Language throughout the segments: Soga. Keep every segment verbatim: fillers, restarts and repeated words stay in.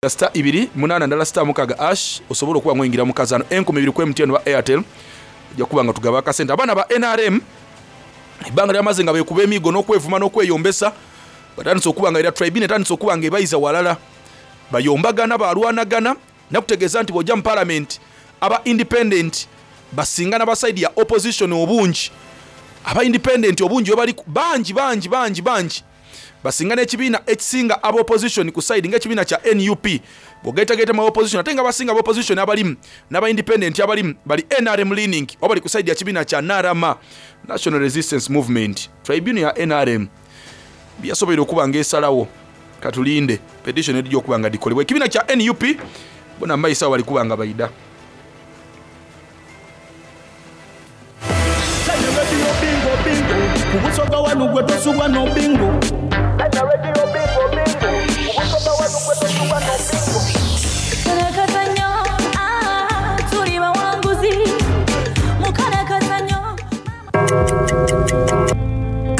Star ibiri munana ndala star mukaga ash osobola okuba ngoyingira mu kazano enkumi ibiri ku M T N wa Airtel ojja kuba nga tugaba akasente. Abaana ba N R M ebbanga lyamaze nga beekuba emiigo n'okwevuma n'okweyombesa, batandise okuba nga era tribune etandise okuba nga ebayiza walala, bayombagana balwanagana. Nakutegeeza nti bw'ojja mu parliament aba independent basinga n'aba side ya opposition obungi, aba independent obungi bwe bali bangi bangi bangi bangi basinga n'ekibiina ekisinga aba opposition ku side ng'ekibiina kya N U P. Bw'ogaitagaita mu opposition ate nga basinga aba opposition abalimu n'aba independent abalimu bali N R M leaning oba bali ku side ya kibiina kya N R M, National Resistance Movement. Tribune ya N R M byasobola okuba ng'esalawo, katulinde petition ejja okuba nga dikolebwa. Ekibiina kya N U P bona mayisa bali kuba nga bayida. Kubusoga wanu gwe tosubwa no bingo.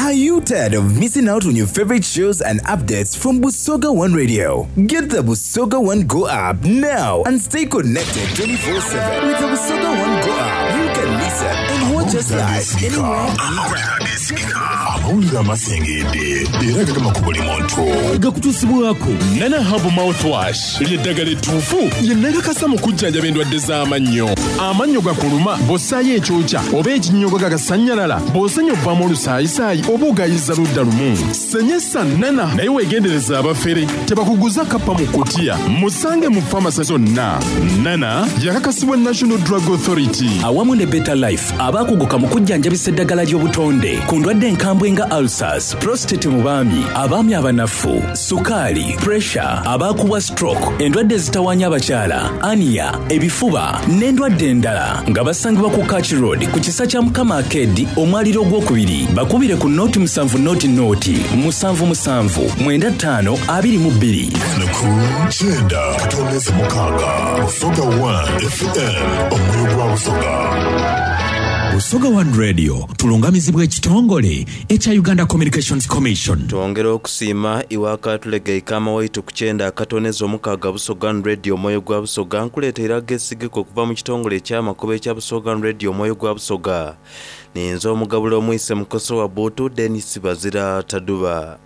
Are you tired of missing out on your favorite shows and updates from Busoga One Radio? Get the Busoga One Go app now and stay connected twenty-four seven. With the Busoga One Go app, you can listen and watch us live anywhere, anytime. Amawulire amasengedde era gagema ku buli muntu. Gakutuusibwako Nana Herbal Mouthwash ly'eddagala ettuufu lye nakakasa mu kujjanjaba endwadde z'amannyo. Amannyo gakuluma bw'ossaayo ekyokya oba ekinnyogo gagasannyalala, bw'osenya ovaamu olusaayisaayi oba ogayiza ludda lumu. Senyesa Nana naye weegendereza abafere tebakuguza kappa mu kutiya. Musange mu famasi zonna. Nana yakakasibwa National Drug Authority awamu ne Better Life abaakuguka mu kujjanjabisa eddagala ly'obutonde ku ndwadde enkambwe nga ulcers, prostate mu baami, abaami abanafu, sukaali, pressure, abaakubwa stroke, endwadde ezitawaanya abakyala, ania, ebifuba n'endwadde endala nga basangibwa ku Kach Road ku kisa kya Mukama Arcade omwaliro ogwokubiri. Bakubire ku noti musanvu noti noti musanvu musanvu mwenda ttaano abiri mu bbiri. Ku kyenda katondeze mukaaga Busoga One F M omwoyo gwa Busoga. Busoga One Radio tulungamizibwa ekitongole ekya Uganda Communications Commission. Twongera okusiima iwaka tulega ikama waitu ku kyenda akatoneza omukaaga Busoga One Radio omwoyo gwa Busoga. Nkuleetera agesigeko okuva mu kitongole eky'amakubo ekya Busoga One Radio omwoyo gwa Busoga. Ninza omugabula omwise mukoso wa Buutu Denis Bazira Taduba.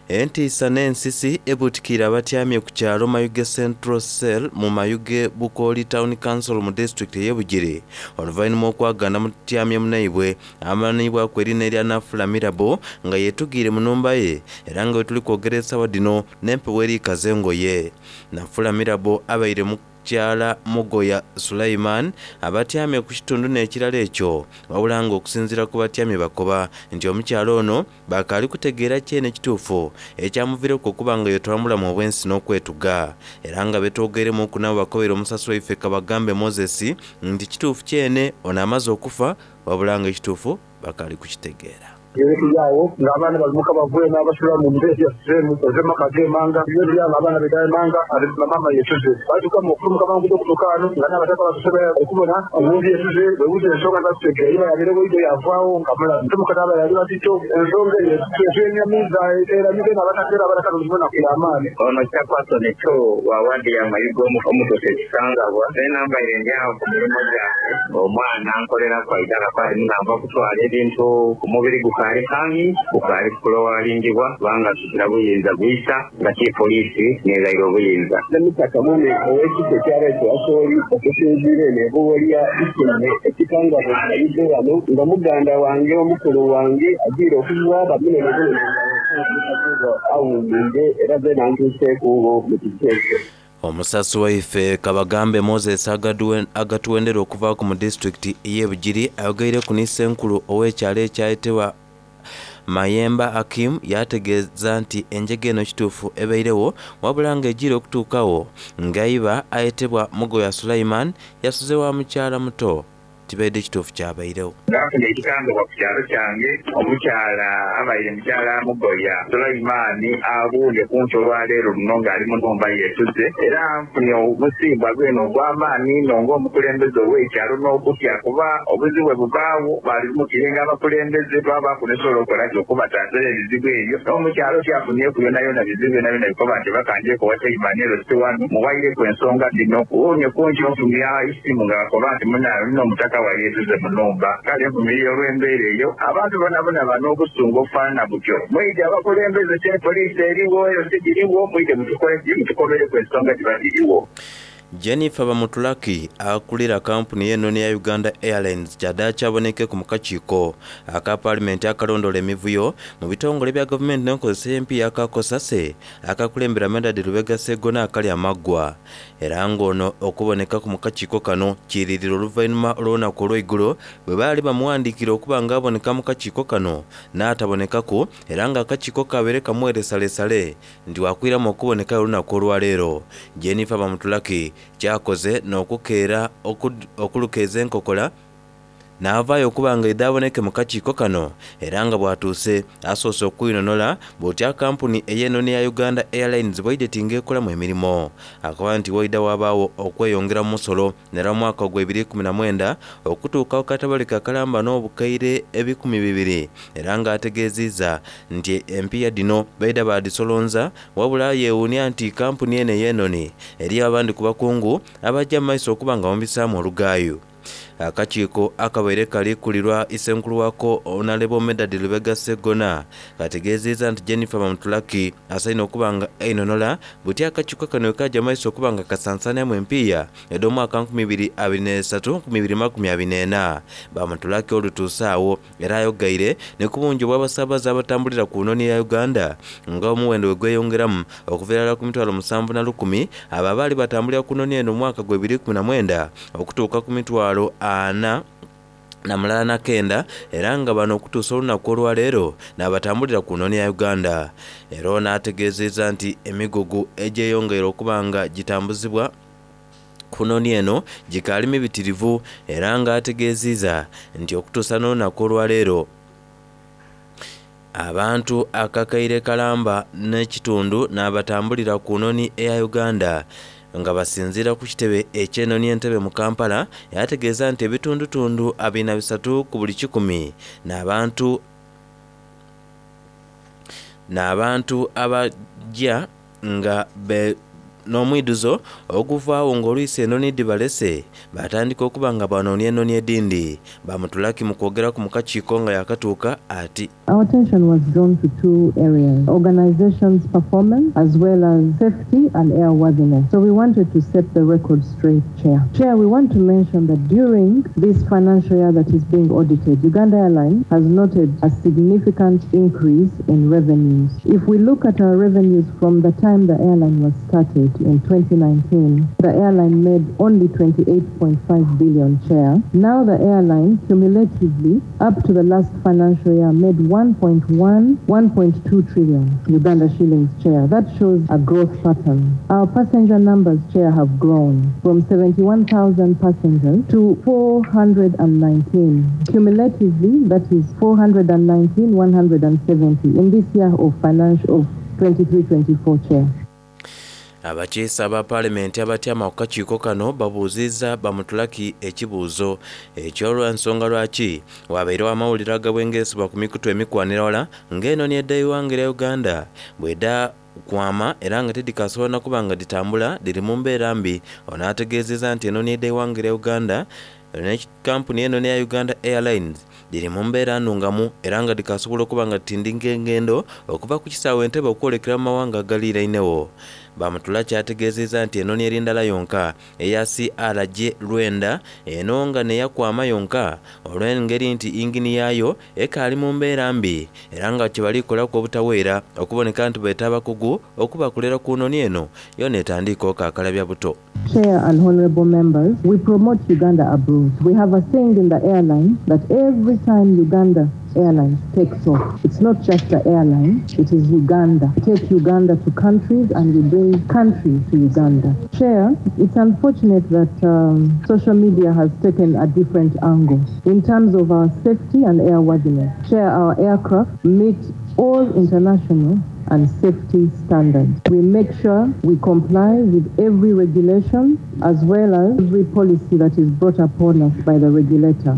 Entiisa n'ensisi ebutikira abatyamye ku kyalo Mayuge Central Cell mu Mayuge Bukooli Town Council mu disitulikiti ey'e Bugiri oluvannyuma okwagana mutyamye munaibwe amanyiibwako erinnya erya Nafula Mirabo nga yeetugiire mu nnumba ye era nga we tuli kwogera essaawa dino n'empewo erikaza engoye. Nafula Mirabo abaire mu kyala Mugoya Sulaiman abatyamye ku kitundu n'ekirala ekyo wabula nga okusinziira ku batyamye bakoba nti omukyalo ono bakaali kutegeera kyene ekituufu ekyamuviireko okuba nga yetwambula mu obwensi n'okwetuga era nga betwogeremu ku nabo bakobera omusasi waife Kabagambe Moses nti kituufu kyene ono amaze okufa wabula nga ekituufu bakaali kukitegeera. Ebitujaawo ng'abaana balimuka bavuye n'abasula mu mbeera ya sisemu ozema kagemanga ebyo byanga abaana bedayemanga mama yetuze batuka mu okufumuka mangu okutuuka wano nga n'abataka batusobola okubona omuntu yetuze webuuza ensonga zatutegeera iba yabere bweido yavaawo nga mulamu tumuka n'aba yali batito ensonga eyo etwenyamiza eramize n'abatakeera abataka tuzibona amaani. Ono Chairperson ekyo wa wadi ya Mayuge omutose ekisangabwa enambaire ndyawo ku mirimu gyange omwana nkolera kwaidala kwali namba okutwala ebintu ku mubiri guka kali kangi ukali kulowalingibwa kubanga tukira buyinza buyisa nga ki poliisi n'ezaire obuyinza. Namitaka mwene ow'ekifo ekyaleetwa Asooli okusinziira eno ebuwolya ikenne ekikangabwa Mayuge wano nga muganda wange omukulu wange agiire okuva bamunene bunene nga awummudde era ze nantuuseeko mu kifo ekyo. Omusasi waife Kabagambe Moses agatuwendera okuva ku mu disitulikiti y'e Bugiri ayogeire ku Nissenkulu ow'ekyalo ekyayitibwa Mayemba Akim yategeeza nti enjega eno kituufu ebairewo wabula ng'egira okutuukawo ng'ayiba ayetebwa Mugoya Sulaiman yasuze wa mukyala muto Tibaidde kituufu kyabairewo. Ngafunye ekikangabwa ku kyalo kyange, omukyala abaire mukyala Mugoya Sulaimaani abuulye ku nkyo olwaleero luno ng'ali mu nhumba yeetuze, era nfunye omusiibwa gwene ogw'amaani inho ng'omukulembeze ow'ekyalo n'okutya kuba obuzibu bwe bubaawo baalumukirenga abakulembeze twabaaku nesobola okukola ki okubataasira ebizibu ebyo. N'omukyalo kyafunyeku yonayona bizibu byonayona bikoba nti bakanjeku owa Chairman ero si wano muwaireku ensonga dhino. Wunye ku nkyo nfunye isimu nga bakoba nti munna omutaka wa yeetuze mu nhumba. Kale nvumirira olw'embeera eyo abantu bonabona bano obusungu obufaanana butyo. Mwije abakulembeze kye poliisi eriwo eyo sigiriwo, mwije mutukole ki mutukobereku ensonga giba giriwo. Jennifer Bamutulaki akulira kampuni y'ennoni ya Uganda Airlines kyaddaaki kyaboneke mu kakiiko aka paalamenti akalondola emivuyo mu bitongole bya gavumenti n'enkozesa y'empiiya akakosase akakulembera Medard Lubega Sseggona akali amaggwa, era ng'ono okubonekaku mu kakiiko kano kiiririra oluvannyuma olw'olunaku olw'eigulo bwe baali bamuwandiikira okuba nga aboneka mu kakiiko kano n'atabonekaku, era ng'akakiiko kabeere kamuweresalesale nti wakwiramu okubonekayo olunaku olwaleero. Jennifer Bamutulaki kyakoze n'okukeera okulukeeza enkokola n'avaayo okuba nga idde aboneke mu kakiiko kano, era nga bw'atuuse asoose okwinonola bw'otya kampuni ey'ennoni ya Uganda Airlines bwaidde tinga ekolamu emirimu. Akaba nti waidda wabaawo okweyongera mu musolo nera mu mwaka ogwa ebiri ikumi na mwenda okutuuka ku katabalika kalamba n'obukaire ebikumi bibiri, era ng'ategeezizza nti empiiya dhino baidha baadhisolonza, wabula yeewuunia nti kampuni eno ey'ennoni eriyo abandi ku bakungu abajja mu maiso okuba nga bamubisaamu olugaayu. Akakiiko akabaire kalikulirwa isenkulu wako Honorable Medard Lubega Sseggona kategeezezza nti Jennifer Bamutulaki asaine okuba nga einonola butya akakiiko kano kajja maiso okuba nga kasansanyamu empiiya edh'omwaka nkumi ibiri abiri n'esatu nkumi ibiri makumi abiri n'ena. Bamutulaki olutuuse awo era ayogaire ne ku bungi obw'abasaabaze abatambulira ku nnoni ya Uganda nga omuwendo we gweyongeramu okuva irala ku mitwalo musanvu na lukumi abo abaali batambulira ku nnoni eno mu mwaka gwa ebiri ikumi na mwenda okutuuka ku mitwalo ana na mulala na kenda, era nga bano okutuusa olunaku olwaleero n'abatambulira ku nnoni ya Uganda. Era ono ategeezezza nti emigugu egyeyongeire okuba nga gitambuzibwa ku nnoni eno gikaali mibitirivu, era nga ategeezezza nti okutuusa n'olunaku olwaleero abantu akakaire kalamba n'ekitundu n'abatambulira ku nnoni eya Uganda nga basinziira ku kitebe eky'ennoni Entebbe mu Kampala. Yategeeza nti ebitundutundu abiri na bisatu ku buli kikumi n'abantu n'abantu abajja nga be n'omwiduzo oguvaawo ng'olwisi ennoni dhibalese batandika okuba nga banoonia ennoni edindi. Bamutulaki mu kwogeraku mu kakiiko nga yakatuuka ati Our attention was drawn to two areas, organization's performance as well as safety and airworthiness. So we wanted to set the record straight, Chair. Chair, we want to mention that during this financial year that is being audited, Uganda Airlines has noted a significant increase in revenues. If we look at our revenues from the time the airline was started in twenty nineteen, the airline made only twenty-eight point five billion, Chair. Now the airline cumulatively up to the last financial year made one point one, one point two trillion Uganda shillings, Chair. That shows a growth pattern. Our passenger numbers, Chair, have grown from seventy-one thousand passengers to four hundred and nineteen. Cumulatively, that is four hundred and nineteen, one hundred and seventy in this year of financial of twenty-three twenty-four, Chair. Abakiise aba paalamenti abatyama ku kakiiko kano babuuzizza Bamutulaki ekibuuzo eky'olw'ensonga lwaki wabairewo amawulire agabwengeesebwa ku mikutu emikwanira wala ng'enoni edda eighanga erya Uganda bw'edda kwama era nga tedikasobola na kuba nga ditambula diri mu mbeera mbi. Ono ategeezezza nti enoni edda eighanga erya Uganda ne kampuni eno neya Uganda Airlines diri mu mbeera nnungamu era nga dikasobola okuba nga ditindika engendo okuva ku kisaawe Entebbe okwolekera mu mawanga agaliirainewo. Bamutulaki ategeezezza nti enoni eri ndala yonka eya C R J lwenda eno nga neyakwama yonka olw'engeri nti yingini yaayo ekaali mu mbeera mbi era nga kye balikolaku obutaweera okuboneka nti beeta abakugu okubakolera ku noni eno yona etandika okaakalabya buto. Chair and honorable members, we promote Uganda abroad. We have a saying in the airline that every time Uganda Airlines takes off, it's not just the airline, it is Uganda. We take Uganda to countries and we bring countries to Uganda. Chair, it's unfortunate that um, social media has taken a different angle in terms of our safety and airworthiness. Chair, our aircraft meet all international and safety standards. We make sure we comply with every regulation as well as every policy that is brought upon us by the regulator.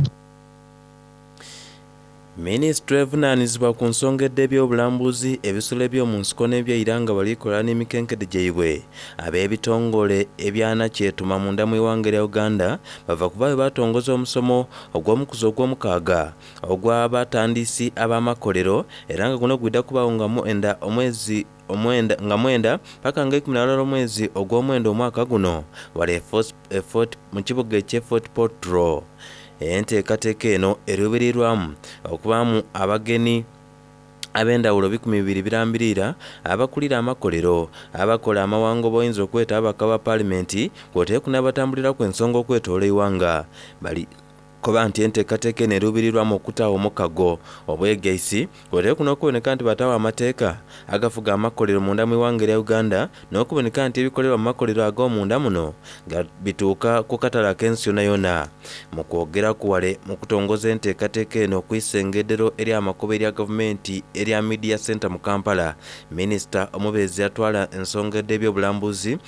Minisitule evunaanyizibwa ku nsonga ed'ebyobulambuzi ebisolo eby'omu nsiko n'ebyaira nga balikola n'emikenkede gyaibwe ab'ebitongole ebyanakyetuma munda mu iwanga erya Uganda bava kuba bwe batongoza omusomo ogw'omukuzi ogw'omukaaga ogw'abatandisi ab'amakolero era nga guno gwidda kubaawo nga mwenda omwezi omwenda nga mwenda paka nga ikumi na lulala omwezi ogw'omwenda omwaka guno wali e Fort mu kibuga eky'e Fort Portal. Enteekateeka eno eruubirirwamu okubaamu abagenyi ab'endawulo bikumi bibiri birambirira abakulira amakolero abakola amawango boyinza okweta ababaka ba paalimenti kw'oteeku n'abatambuliraku ensonga okwetoola eiwanga bali koba nti enteekateeka eno eruubirirwamu okutaawo omukago obwegaisi kw'oteeku n'okuboneka nti bataawo amateeka agafuga amakolero munda mu iwanga erya Uganda n'okuboneka nti ebikolebwa mu makolero ag'omunda muno bituuka ku katale ak'ensi yonna yonna. Mu kwogera kuwale mu kutongoza enteekateeka eno okwisengedero ery'amakubo erya gavumenti erya Media Center mu Kampala, minisita omubeezi atwala ensonga ed'ebyobulambuzi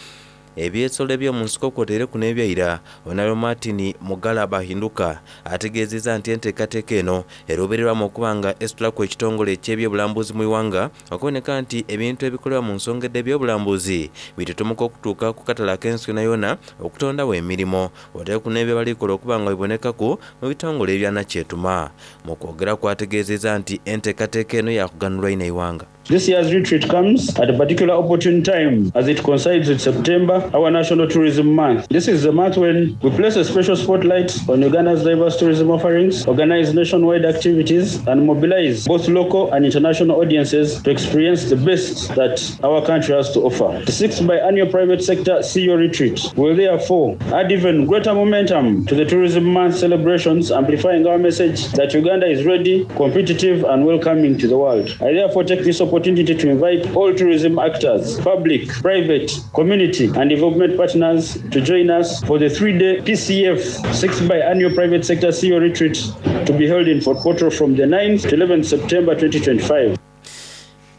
ebyesolo eby'omu nsiko kw'oteereku n'ebyaira Honorable Martin Mugala Bahinduka ategeezezza nti enteekateeka eno eruubirirwamu okuba nga esitulaku ekitongole eky'ebyobulambuzi mu iwanga okuboneka nti ebintu ebikolebwa mu nsonga ed'ebyobulambuzi bitutumuka okutuuka ku katale ak'ensi yonna yonna okutondawo emirimu oteeku n'ebyo balikola okuba nga bibonekaku mu bitongole ebyanakyetuma. Mu kwogera kwategeezezza nti enteekateeka eno yakuganulwa ino eiwanga. This year's retreat comes at a particular opportune time as it coincides with September, our National Tourism Month. This is the month when we place a special spotlight on Uganda's diverse tourism offerings, organize nationwide activities, and mobilize both local and international audiences to experience the best that our country has to offer. The sixth biannual private sector C E O retreat will therefore add even greater momentum to the Tourism Month celebrations, amplifying our message that Uganda is ready, competitive, and welcoming to the world. I therefore take this opportunity opportunity to invite all tourism actors, public, private, community, and development partners to join us for the three-day P C F sixth biannual private sector C E O retreat to be held in Fort Portal from the ninth to eleventh September twenty twenty-five.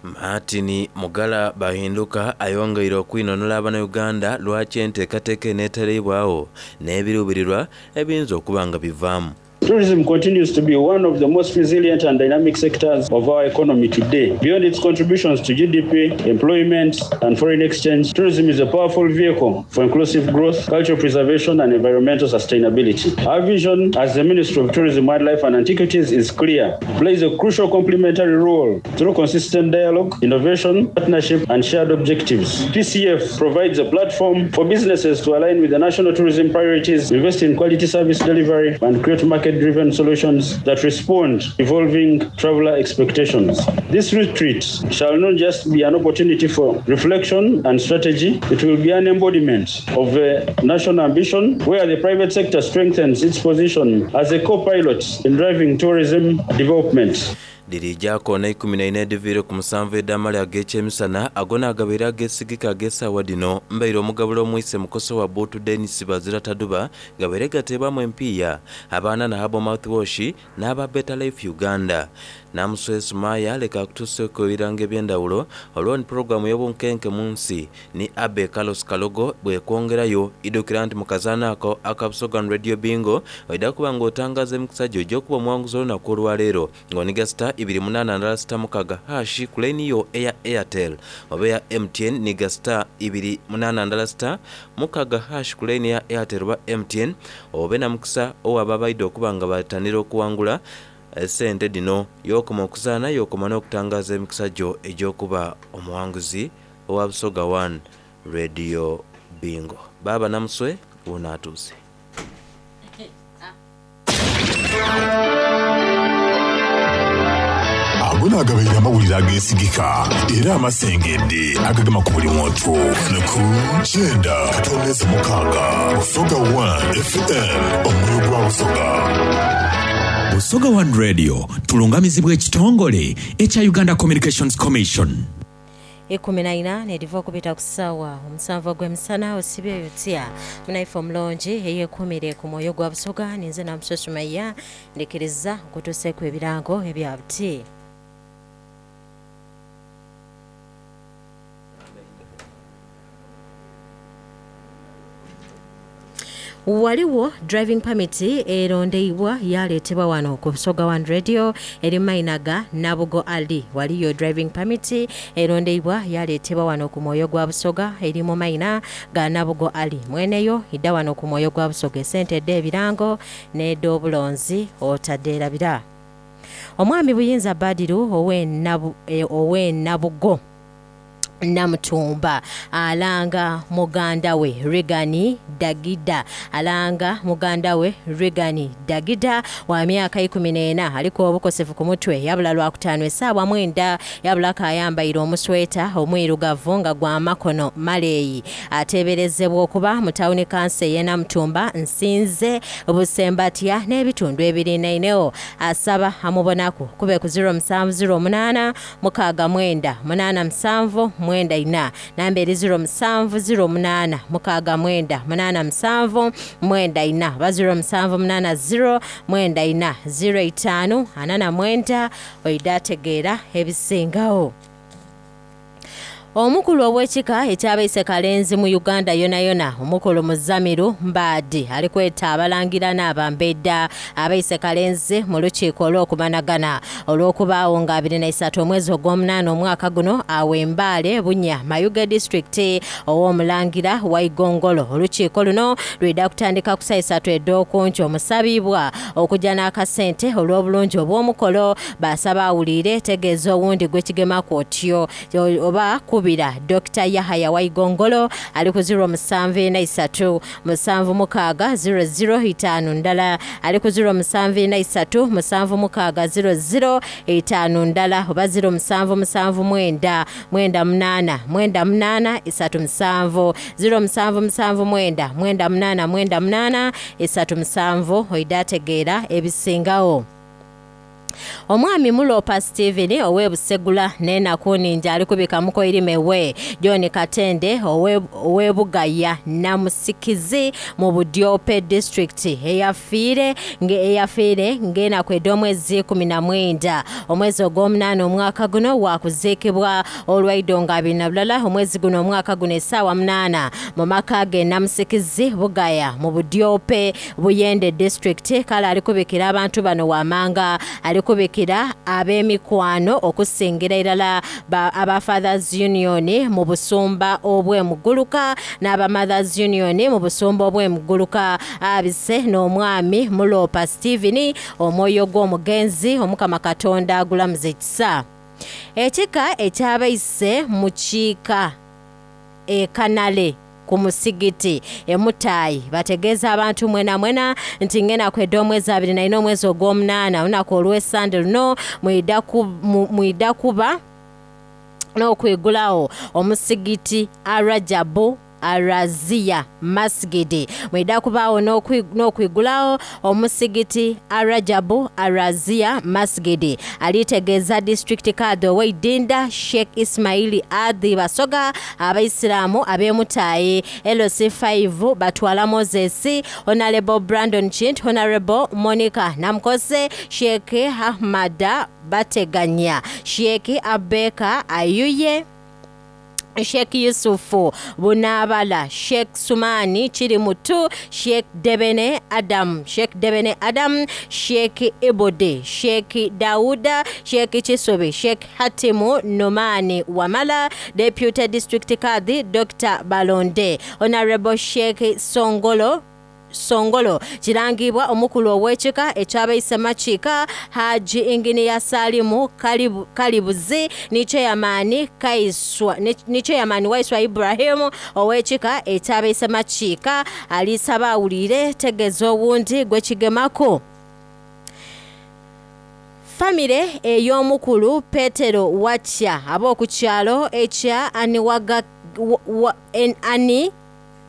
Martin Mugala Bahinduka ayongeire okwinonora abannayuganda lwaki enteekateeka eneetereibwawo n'ebiruubirirwa ebiyinza okuba nga bivaamu. Tourism continues to be one of the most resilient and dynamic sectors of our economy today. Beyond its contributions to G D P, employment, and foreign exchange, tourism is a powerful vehicle for inclusive growth, cultural preservation, and environmental sustainability. Our vision as the Ministry of Tourism, Wildlife, and Antiquities is clear. It plays a crucial complementary role through consistent dialogue, innovation, partnership, and shared objectives. P C F provides a platform for businesses to align with the national tourism priorities, invest in quality service delivery, and create market driven solutions that respond to evolving traveler expectations. This retreat shall not just be an opportunity for reflection and strategy, it will be an embodiment of a national ambition where the private sector strengthens its position as a co-pilot in driving tourism development. Lirijako na ikumi na ine ediviire ku musanvu ed'amale ag'ekyemisana agona agabeera ageesigika ag'essaawa dino mbaire omugabula omwise mukoso wa Buutu Denis Bazira Taduba gabeere gateebwamu empiiya abaana na Herbal Mouthwash n'aba Better Life Uganda. Namuswe Sumaya leka akutuuseeko ebirango eby'endawulo olwo ni pulogulaamu y'obunkenke mu nsi ni Abe Carlos Kalogo bwekwongerayo idukira nti mu kazaana ako aka Busoga Radio Bingo oidda kuba ng'otangaza emikisa gyo egy'okuba omuwanguzi olunaku olwaleero ng'oniga star ibiri munana ndala sita mukaga hashi ku layini yo eya Airtel oba eya M T N niga star ibiri munana ndala sita mukaga hashi ku layini ya Airtel oba M T N obe na mukisa owaba abaidde okuba nga batanira okuwangula sente dino yokoma okuzaana yokoma n'okutangaza emikisa gyo egy'okuba omuwanguzi owa Busoga One Radio Bingo. Baaba Namuswe wunaatuuse. Ago naagabaire amawulire ageesigika era amasengedde agagema ku buli muntu ku kyenda katondeze mukaaga Busoga one F M omwoyo gwa Busoga. Busoga One Radio tulungamizibwa ekitongole ekya Uganda Communications Commission. Ikumi na ina nediva okubita ku ssaawa omusanvu ogw'emisana osibyeyo otya munaife omulungi eyeekumire ku mwoyo gwa Busoga ninze Namusosumayiya ndikiriza nkutuuseeku ebirango ebya buti. Waliwo driving permit erondeibwa yaleetebwa wano ku Busoga One Radio eri mainaga Nabugo Ali. Waliyo driving permit erondeibwa yaleetebwa wano ku mwoyo gwa Busoga eri mu maina ga Nabugo Ali. Mweneyo idda wano ku mwoyo gwa Busoga esente edda ebirango n'ed'obulonzi otadde erabira. Omwami Buyinza Badiru owe Nabugo Namutumba alanga muganda we Regani Dagida alanga muganda we Regani Dagida wa myaka ikumi n'ena aliko obukosefu ku mutwe yabula lwakutaano essaawa mwenda yabula kayambaire omusweta omwirugavu nga gwa makono maleeyi ateeberezebwa okuba mu tawuni kanso ey'e Namutumba Nsinze Busembatya n'ebitundu ebirinaineo asaba amubonaku kube ku zero musanvu zero munaana mukaaga mwenda munaana musanvu mwenda ina namba eri zero musanvu zero munaana mukaaga mwenda munaana musanvu mwenda ina ba zero musanvu munaana zero mwenda ina zero itaano ana na mwenda oida ategeera ebisingawo. Omukulu ow'ekika ekyabaise Kalenzi mu Uganda yona yona omukulu Muzamiru Mbaadi alikweta abalangira n'abambedda abaise Kalenzi mu lukiiko olw'okumanagana olw'okubaawo nga abiri na isatu omwezi ogw'omunaana omwaka guno aw'Embaale Bunya Mayuge disitulikiti ow'omulangira wa Igongolo. Olukiiko luno lwidda kutandika ku saa isatu ed'okunkyo omusabibwa okujja n'akasente olw'obulungi obw'omukolo basaba awulire tegeeza owundi gwekigemaku otyo oba kubi Dokita Yahaya Waigongolo ali ku zero musanvu ena isatu musanvu mukaaga zero zero itaano ndala ali ku zero musanvu ena isatu musanvu mukaaga zero zero itaano ndala oba zero musanvu musanvu mwenda mwenda munaana mwenda munaana isatu musanvu zero musanvu musanvu mwenda mwenda munaana mwenda munaana isatu musanvu oida ategeera ebisingawo. Omwami Mulopa Steven owe Busegula n'enakuninja ali kubika mukoirimewe John Katende owe Bugaya Namusikizi mu Budiope district eyafiire eyafiire ng'enaku ed'omwezi kumi na mwenda omwezi ogw'omunaana omwaka guno wakuziikibwa olwaido nga abiri na bulala omwezi guno omwaka guno essaawa munaana mu maka ge Namusikizi Bugaya mu Budiope Buyende district. Kale ali kubikira abantu bano wamanga alikubikira ab'emikwano okusingira irala aba Fathers Union mu busumba obw'emuguluka n'aba Mothers Union mu busumba obw'emuguluka abise n'omwami Mulopa Steven omwoyo gw'omugenzi Omukama Katonda agulamuze ekisa. Ekika ekyabaise mu kiika ekanale ku musigiti emutayi bategeeza abantu mwena mwena nti ngena kwedda omwezi abiri na ina omwezi ogw'omunaana olunaku olw'essande luno mwidda kuba n'okwigulawo omusigiti Arajabu Arazia Masgidi mwidda kubaawo n'okwigulawo omusigiti Arajabu Arazia Masgidi. Alitegeeza district kadhi ow'eidinda Sheikh Ismaili Adhi Basoga abaisiraamu ab'emutayi L C five Batwala Moses Honorable Brandon Chint Honorable Monica Namkose Sheikh Ahmada Bateganya Sheikh Abeka Ayuye Sheikh Yusufu Bunabala Sheikh Sumani Chirimutu Sheikh Debene Adam Sheikh Debene Adam Sheikh Ibode Sheikh Dauda Sheikh Chisobe Sheikh Hatimu Nomani Wamala Deputy District Kadhi Doctor Balonde Honorable Sheikh Songolo Songolo kirangibwa omukulu ow'ekika ekyabaise Makiika Haji Inginiya Salimu Kalibu, Kalibuzi ni Chairman Kaiswa ni Chairman Waiswa Ibrahim ow'ekika ekyabaise Makiika alisaba awulire tegeeza owundi gwekigemako. Famire ey'omukulu Petero Watya ab'oku kyalo ekya Aniwaga wa, en, Ani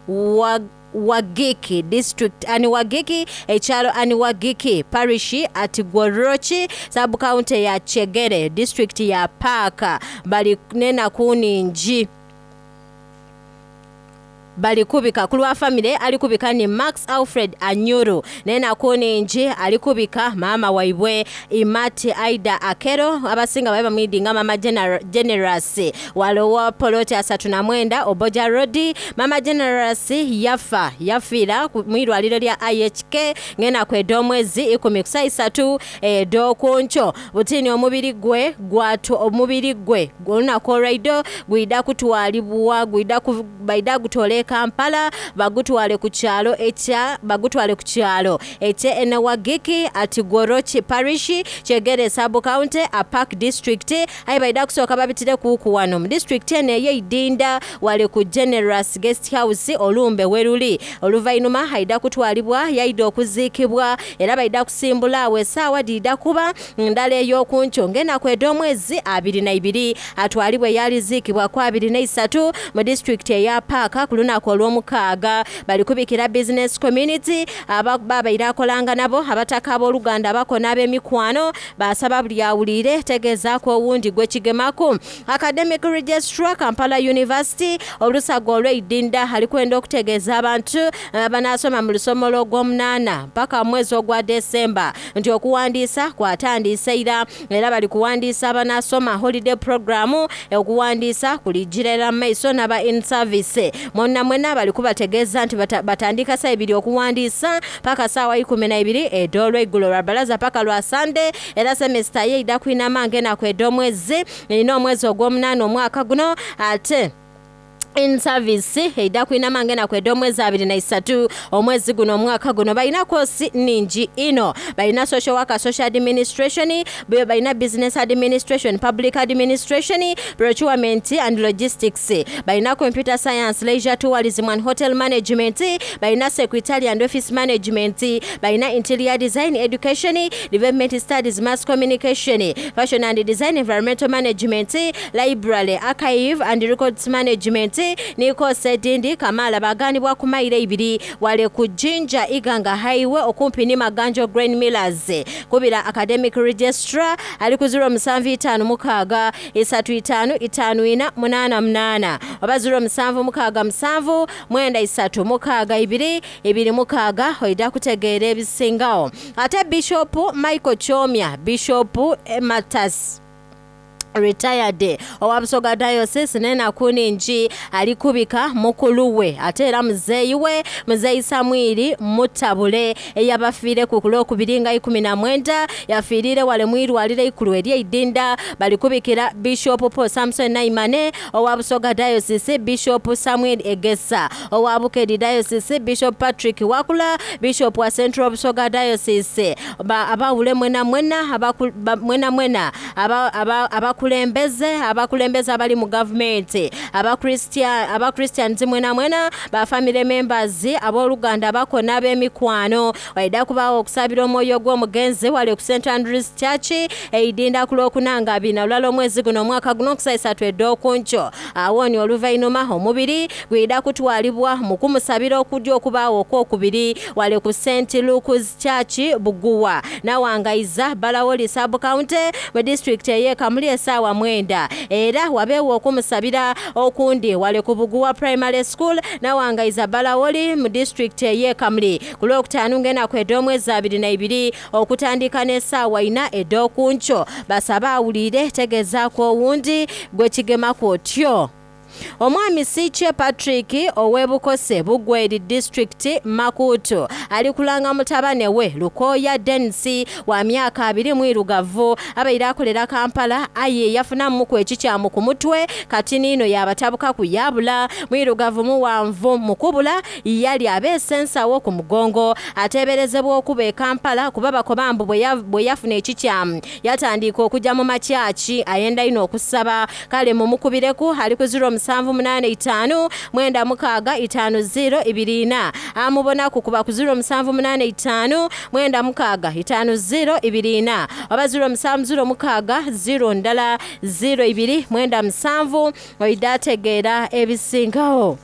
wa, Wagiki district Aniwagiki ekyalo Aniwagiki parish at Gworochi sub county ya Chegere district ya Paaka bali nenaku ningi balikubika kulwa famire alikubika ni Max Alfred Anyuru nenaku ningi alikubika mama waibwe Imati Aida Akero abasinga babe bamwidinga mama Gener Generous walowa poloti asatu na mwenda Oboja Road. Mama Generous yafa yafiira mwirwaliro lya I H K ngena kweda omwezi ikumi kusa isatu edokuncho butini omubiri gwe gwatu omubiri gwe olunaku olwaido gwida kutwalibwa gwida baida gutole Kampala bagutwale ku kyalo ekya bagutwale ku kyalo ekye Enewagiki at Gworochi Parish Chegere sub county Apak district ayi baida kusooka babitire kuku wano mu district eno ey'Eidinda wale ku Generous Guest House olumbe weruli oluvainuma haida kutwalibwa yaida okuziikibwa era baida kusimbula awo essaawa dida kuba ndala ey'okunkyo ngena kweda omwezi abiri na ibiri atwalibwe yaliziikibwa ku abiri na isatu mu district eya Paaka ku lunaku olw'omukaaga balikubikira business community ababaire akolanga nabo abataka abooluganda abako n'ab'emikwano basaba buli awulire tegeezaako owundi gwekigemako. Academic Registrar Kampala University olusago olw'eidinda alikwenda okutegeeza abantu abanaasoma mu lusomo lw'ogwomunaana mpaka mwezi ogwa Desemba nti okuwandiisa kwatandise ira era bali kuwandiisa abanaasoma holiday program okuwandiisa kulijirera mu maiso n'aba in service mwonna mwena bali kubategeeza nti batandika saa ibiri okuwandiisa paka saawa ikumi na ibiri ed'olweggulo lwa balaza paka lwa Sunday era semester ye ida kwinama ngena kweda omwezi erina omwezi ogw'omunaana omwaka guno ate in service eida kwinama ngena kweda omwezi abiri na isatu omwezi guno omwaka guno. Balina kosi ningi ino balina social worker, social administration, balina business administration, public administration, procurement and logistics, balina computer science, leisure tourism and hotel management, balina secretary and office management, balina interior design, education, development studies, mass communication, fashion and design, environmental management, library, archive and records management niko sedindi kamala baganibwa ku mayiro ibiri wale ku Jinja Iganga Highway okumpi ni Maganjo Grain Millers. Kubira academic registrar ali ku zero musanvu itaano mukaaga isatu itaano itaano ina munaana munaana oba zero musanvu mukaaga musanvu mwenda isatu mukaaga ibiri ibiri mukaaga oida kutegeera ebisingawo. Ate Bishop Michael Chomya Bishop Emeritus retired owa Busoga Diocese nenaku ningi alikubika mukulu we ate era muzeeyi we muzeeyi Samwiri Mutabule eyabafiire ku lwokubiri nga ikumi na mwenda yafiirire wale mwirwaliro ikulu ery'eidinda balikubikira Bishop Paul Samson Naimane owa Busoga Diocese, Bishop Samuel Egesa owa Bukedi Diocese, Bishop Patrick Wakula Bishop wa Central Busoga Diocese abawule mwena mwena mwena mwena abakulembeze abakulembeze abali mu gavumenti abakristian abakristians mwena mwena ba family members abooluganda abako n'ab'emikwano waida kubaawo okusabira omwoyo gw'omugenzi wali ku Saint Andrews Church eidinda ku lwokunanga abiri na lulala omwezi guno omwaka guno okusa esatu ed'okunkyo awooni oluvainuma omubiri gwida kutwalibwa mu kumusabira okudya okubaawo okwokubiri wali ku Saint Luke's Church Buguwa nawangaiza Balawoli sub county mu district ey'e Kamuli essaawa mwenda era wabeewo okumusabira okundi wale ku Buguwa Primary School nawangaiza Balawoli mu district ey'e Kamuli ku lwokutaano ng'enaku ed'omwezi abiri na ibiri okutandika n'essaawa ina ed'okunkyo basaba awulire tegeezaako owundi gwe kigemako otyo. Omwami Siche Patrick ow'Ebukose Bugweri district Makuutu alikulanga mutabane we Lukoya Dennis wa myaka abiri mwirugavu abaire akolera Kampala aye yafunamuku ekikyamu ku mutwe kati niino yabatabuka ku yabula mwirugavu muwanvu mukubula yali abeese ensawo ku mugongo ateeberezebwa okuba e Kampala kuba bakobambu bwe yafuna ekikyamu yatandika okujja mu makyaki ayenda ino okusaba kale mumukubireku ali ku zero musanvu munaana itaanu mwenda mukaaga itaanu ziro ibiri ina. Amubonaku kuba ku ziro musanvu munaana itaanu mwenda mukaaga itaanu ziro ibiri ina oba ziro musanvu ziro mukaaga ziro ndala ziro ibiri mwenda musanvu oidategeera ebisingawo.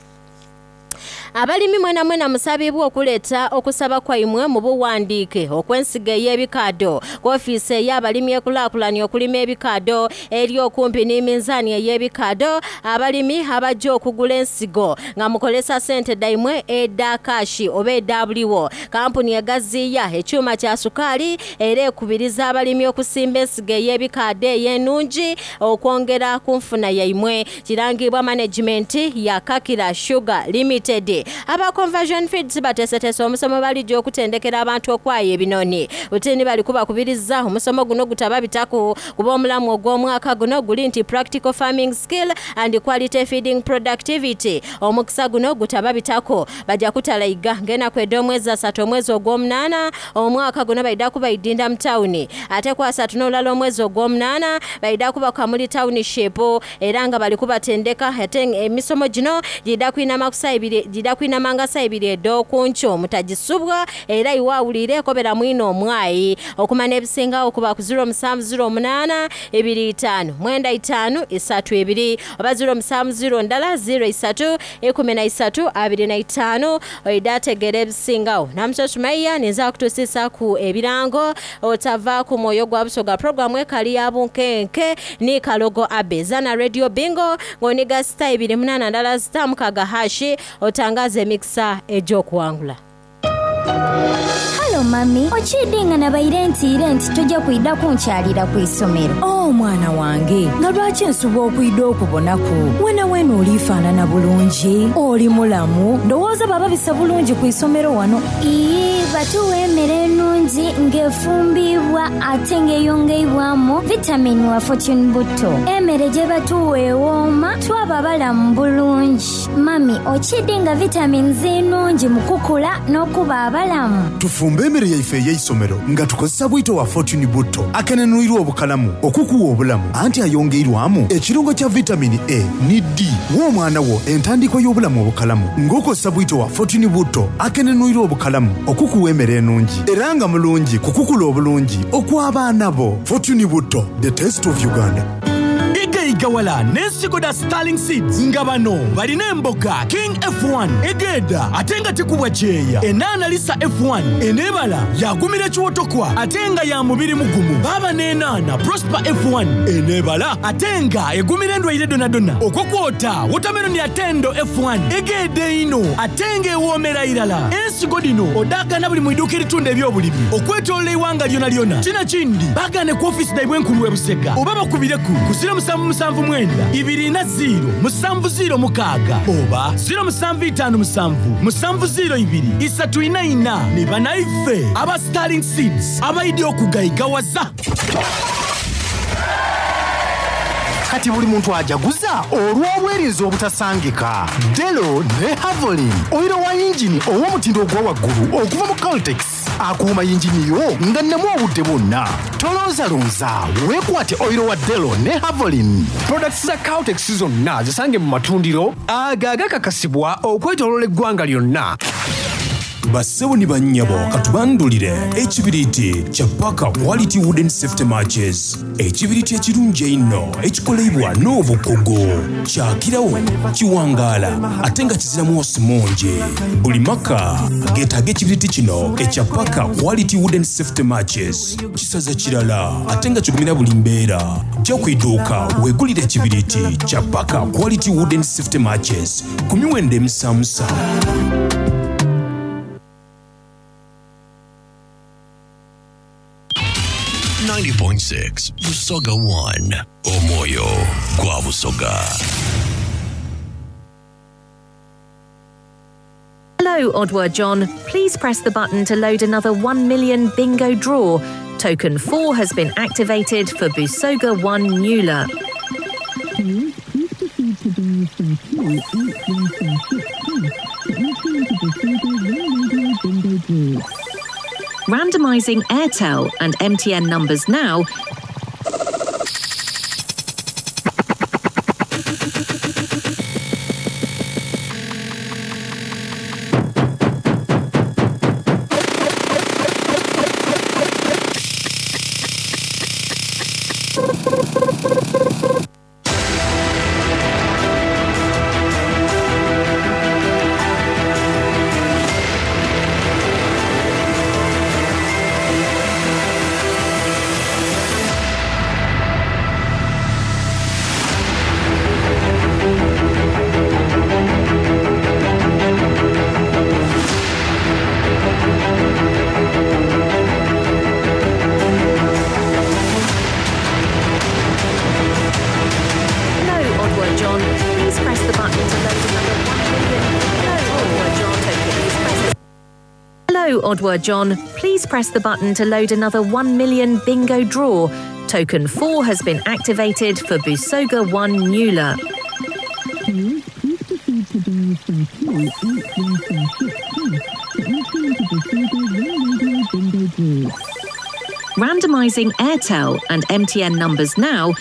Abalimi mwena mwena musabibwa okuleeta okusaba kwaimwe mu buwandiike okw'ensigo ey'ebikaado ku ofiisi ey'abalimi ekulaakulanya okulima ebikaado eri okumpi n'eminzaani ey'ebikaado. Abalimi abajja okugula ensigo nga mukolesa ssente daimwe eda kaashi oba eda buliwo. Kampuni egaziya ekyuma kya sukaali era ekubiriza abalimi okusimba ensigo ey'ebikaado ey'ennungi okwongera ku nfuna yaimwe. Kirangibwa management ya Kakira Sugar Limited. Aba Conversion Feeds bateeseteese omusomo balijja okutendekera abantu okwaya ebinoni. Butini bali kubakubiriza omusomo guno gutaba bitaku kuba omulamu ogw'omwaka guno guli nti practical farming skill and quality feeding productivity. Omukisa guno gutaba bitako bajja kutalayiga ng'ennaku ed'omwezi asatu omwezi ogw'omunaana omwaka guno baidda kubaidinda mu tawuni, ate ku asatu n'olulala omwezi ogw'omunaana baidda kuba Kamuli Township era nga bali kubatendeka. Ate emisomo gino gidda kwinama ku saa ibiri gidda kwinamanga saa ibiri ed'okunkyo mutagisubwa era iwawulire kobera mwino omwayi. Okumanya ebisingawo kuba ku ziro musanvu ziro munaana ebiri itaano mwenda itaano esatu ebiri oba ziro musanvu ziro ndala ziro isatu ekumi na isatu abiri na itaano oidategeera ebisingawo. Namuso Sumaiya ninza kutusiisa ku ebirango otava ku mwoyo gwa Busoga programu ekali ya bunkenke ni Kalogo Abe Zana Radio Bingo ng'oniga sita ibiri munaana ndala sita mukaga hashi otangaze emikisa egy'okuwangula. Halo mami, okidinga nabaire ntiire nti tojja kwidda kunkyalira ku isomero. Oh mwana wange, nga lwaki nsuba okwidda okubonaku? Wena wena olifaanana bulungi, oli mulamu, ndowooza baba bisa bulungi ku isomero wano. Ii, batuwa emmere ennungi ng'efumbibwa ate ng'eyongeibwamu vitamini wa Fortune Butto. Emmere gye batuwa ewooma, twaba balamu bulungi. Mami, okidinga vitamini ennungi mu kukula n'okuba abalamu. Tufumbe emmere yaife ey'eisomero nga tukozesa bwito wa Fortune Butto akenenulirwa obukalamu okukuwa obulamu anti ayongeirwamu ekirungo kya vitamini A ne D w'omwana wo entandikwa y'obulamu obukalamu ng'okozesa bwito wa Fortune Butto akenenulirwa obukalamu okukuwa emmere ennungi era nga mulungi kukukula obulungi okw'abaana bo. Fortune Butto, the taste of Uganda. Igawala n'ensigo da Starling Seeds nga bano balina emboga King F one egeda ate nga tekubwa kyeya, enaana Lisa F one eneebala yagumira ekiwotokwa ate nga ya mubiri mugumu, baaba n'enaana Prosper F one eneebala ate nga egumira endwaire donadona, okwokwota watermelon ya Tendo F one egeda ino ate nga ewoomera irala. Ensigo dino odaagana buli mu idduuka eritunda ebyobulimi okwetoolola eiwanga lyona lyona. Kino kindi baagaane ku ofiisi daibwe enkulu e Busega oba bakubireku ku ziro musanvu musanvu mwenda ibiri na ziro musanvu ziro mukaaga oba ziro musanvu itaano musanvu musanvu ziro ibiri isatu ina ina. Ne banaife aba Starling Seeds abaidi okugayigawaza. Kati buli muntu ajaguza olw'obwerinzi obutasangika. Delo ne Havolin, oyiro wa yingini ow'omutindo ogwa waggulu okuva mu Caltex akuuma yingini yo nga nnemu obudde bwonna. Tolonzalonza, weekwate oyiro wa Delo ne Havolin. Products za Caltex zonna zisange mu matundiro ago agakakasibwa okwetooloola eggwanga lyonna. Bassebo ni bannyabo katubandulire ekibiriiti kya Paka Quality Wooden Safety Matches, ekibiriiti ekirungi einno ekikolebwa n'obukugu, kyakirawo kiwangaala ate nga kiziramu osimungi. Buli maka geetaaga ekibiriiti kino ekya Paka Quality Wooden Safety Matches, kisaza kirala ate nga kigumira buli mbeera. Jja ku idduuka weegulire ekibiriiti kya Paka Quality Wooden Safety Matches ku miwendo emisaamusa. ninety point six Busoga one Omwoyo gwa Busoga. Hello, Odward John. Please press the button to load another one million bingo draw. Token four has been activated for Busoga one Nula. Please, please proceed to dial star two eight one four six hash to enter into Busoga One Radio Bingo Draw. Randomising Airtel and M T N numbers now. Hello, Odwa John. Please press the button to load another one million bingo draw. Token four has been activated for Busoga one Nula. Please, please proceed to dial star two eight one star six hash to enter into Busoga One Radio Bingo Draw. Randomising Airtel and M T N numbers now.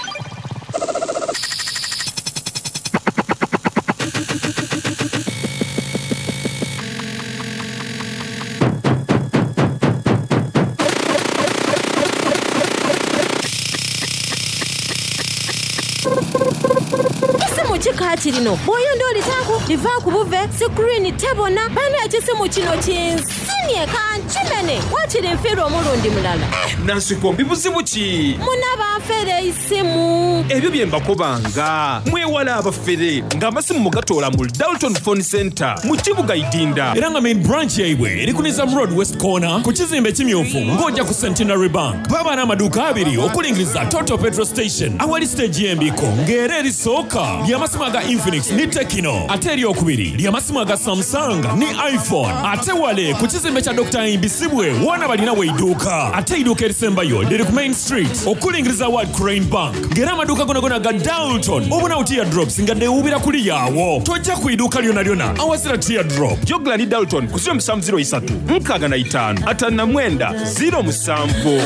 Ekisimu kikaati lino bw'oyonda olitaaku liva ku buve sikurini tebona bana ekisimu kino kinsinye kankimene wakiri nfiirwa omulundi mulala. Nansikombi buzibu ki? Muna banfere isimu. Ebyo bye mbakobanga mwewala abafere ng'amasimu mugatoola mu Dalton Phone Center mu kibuga Idinda. Era nga main branch yaibwe eri ku Nizam Road West Corner ku kizimbe ekimyufu ng'ojja ku Centenary Bank. Baba n'amaduuka abiri okulingiriza Total Petrol Station awali stage y'embiko ng'era erisooka ly'amasimu aga Infinix ne Tecno, ate eryokubiri ly'amasimu aga Samsung ne iPhone. Ate wale ku kizimbe kya Doctor Imbisibwe wona balina weidduuka. Ate eiduuka erisembayo liri ku Main Street okulingiriza World Crane Bank ng'era amaduuka gonagona ga Dalton obunawo teardrops nga deewuubira kuli yaawo. Tojja ku iduuka lyona lyona awazira teardrop. Jogla ni Dalton ku ziro musanvu ziro isatu nkaaga na itaano ataano na mwenda ziro musanvu.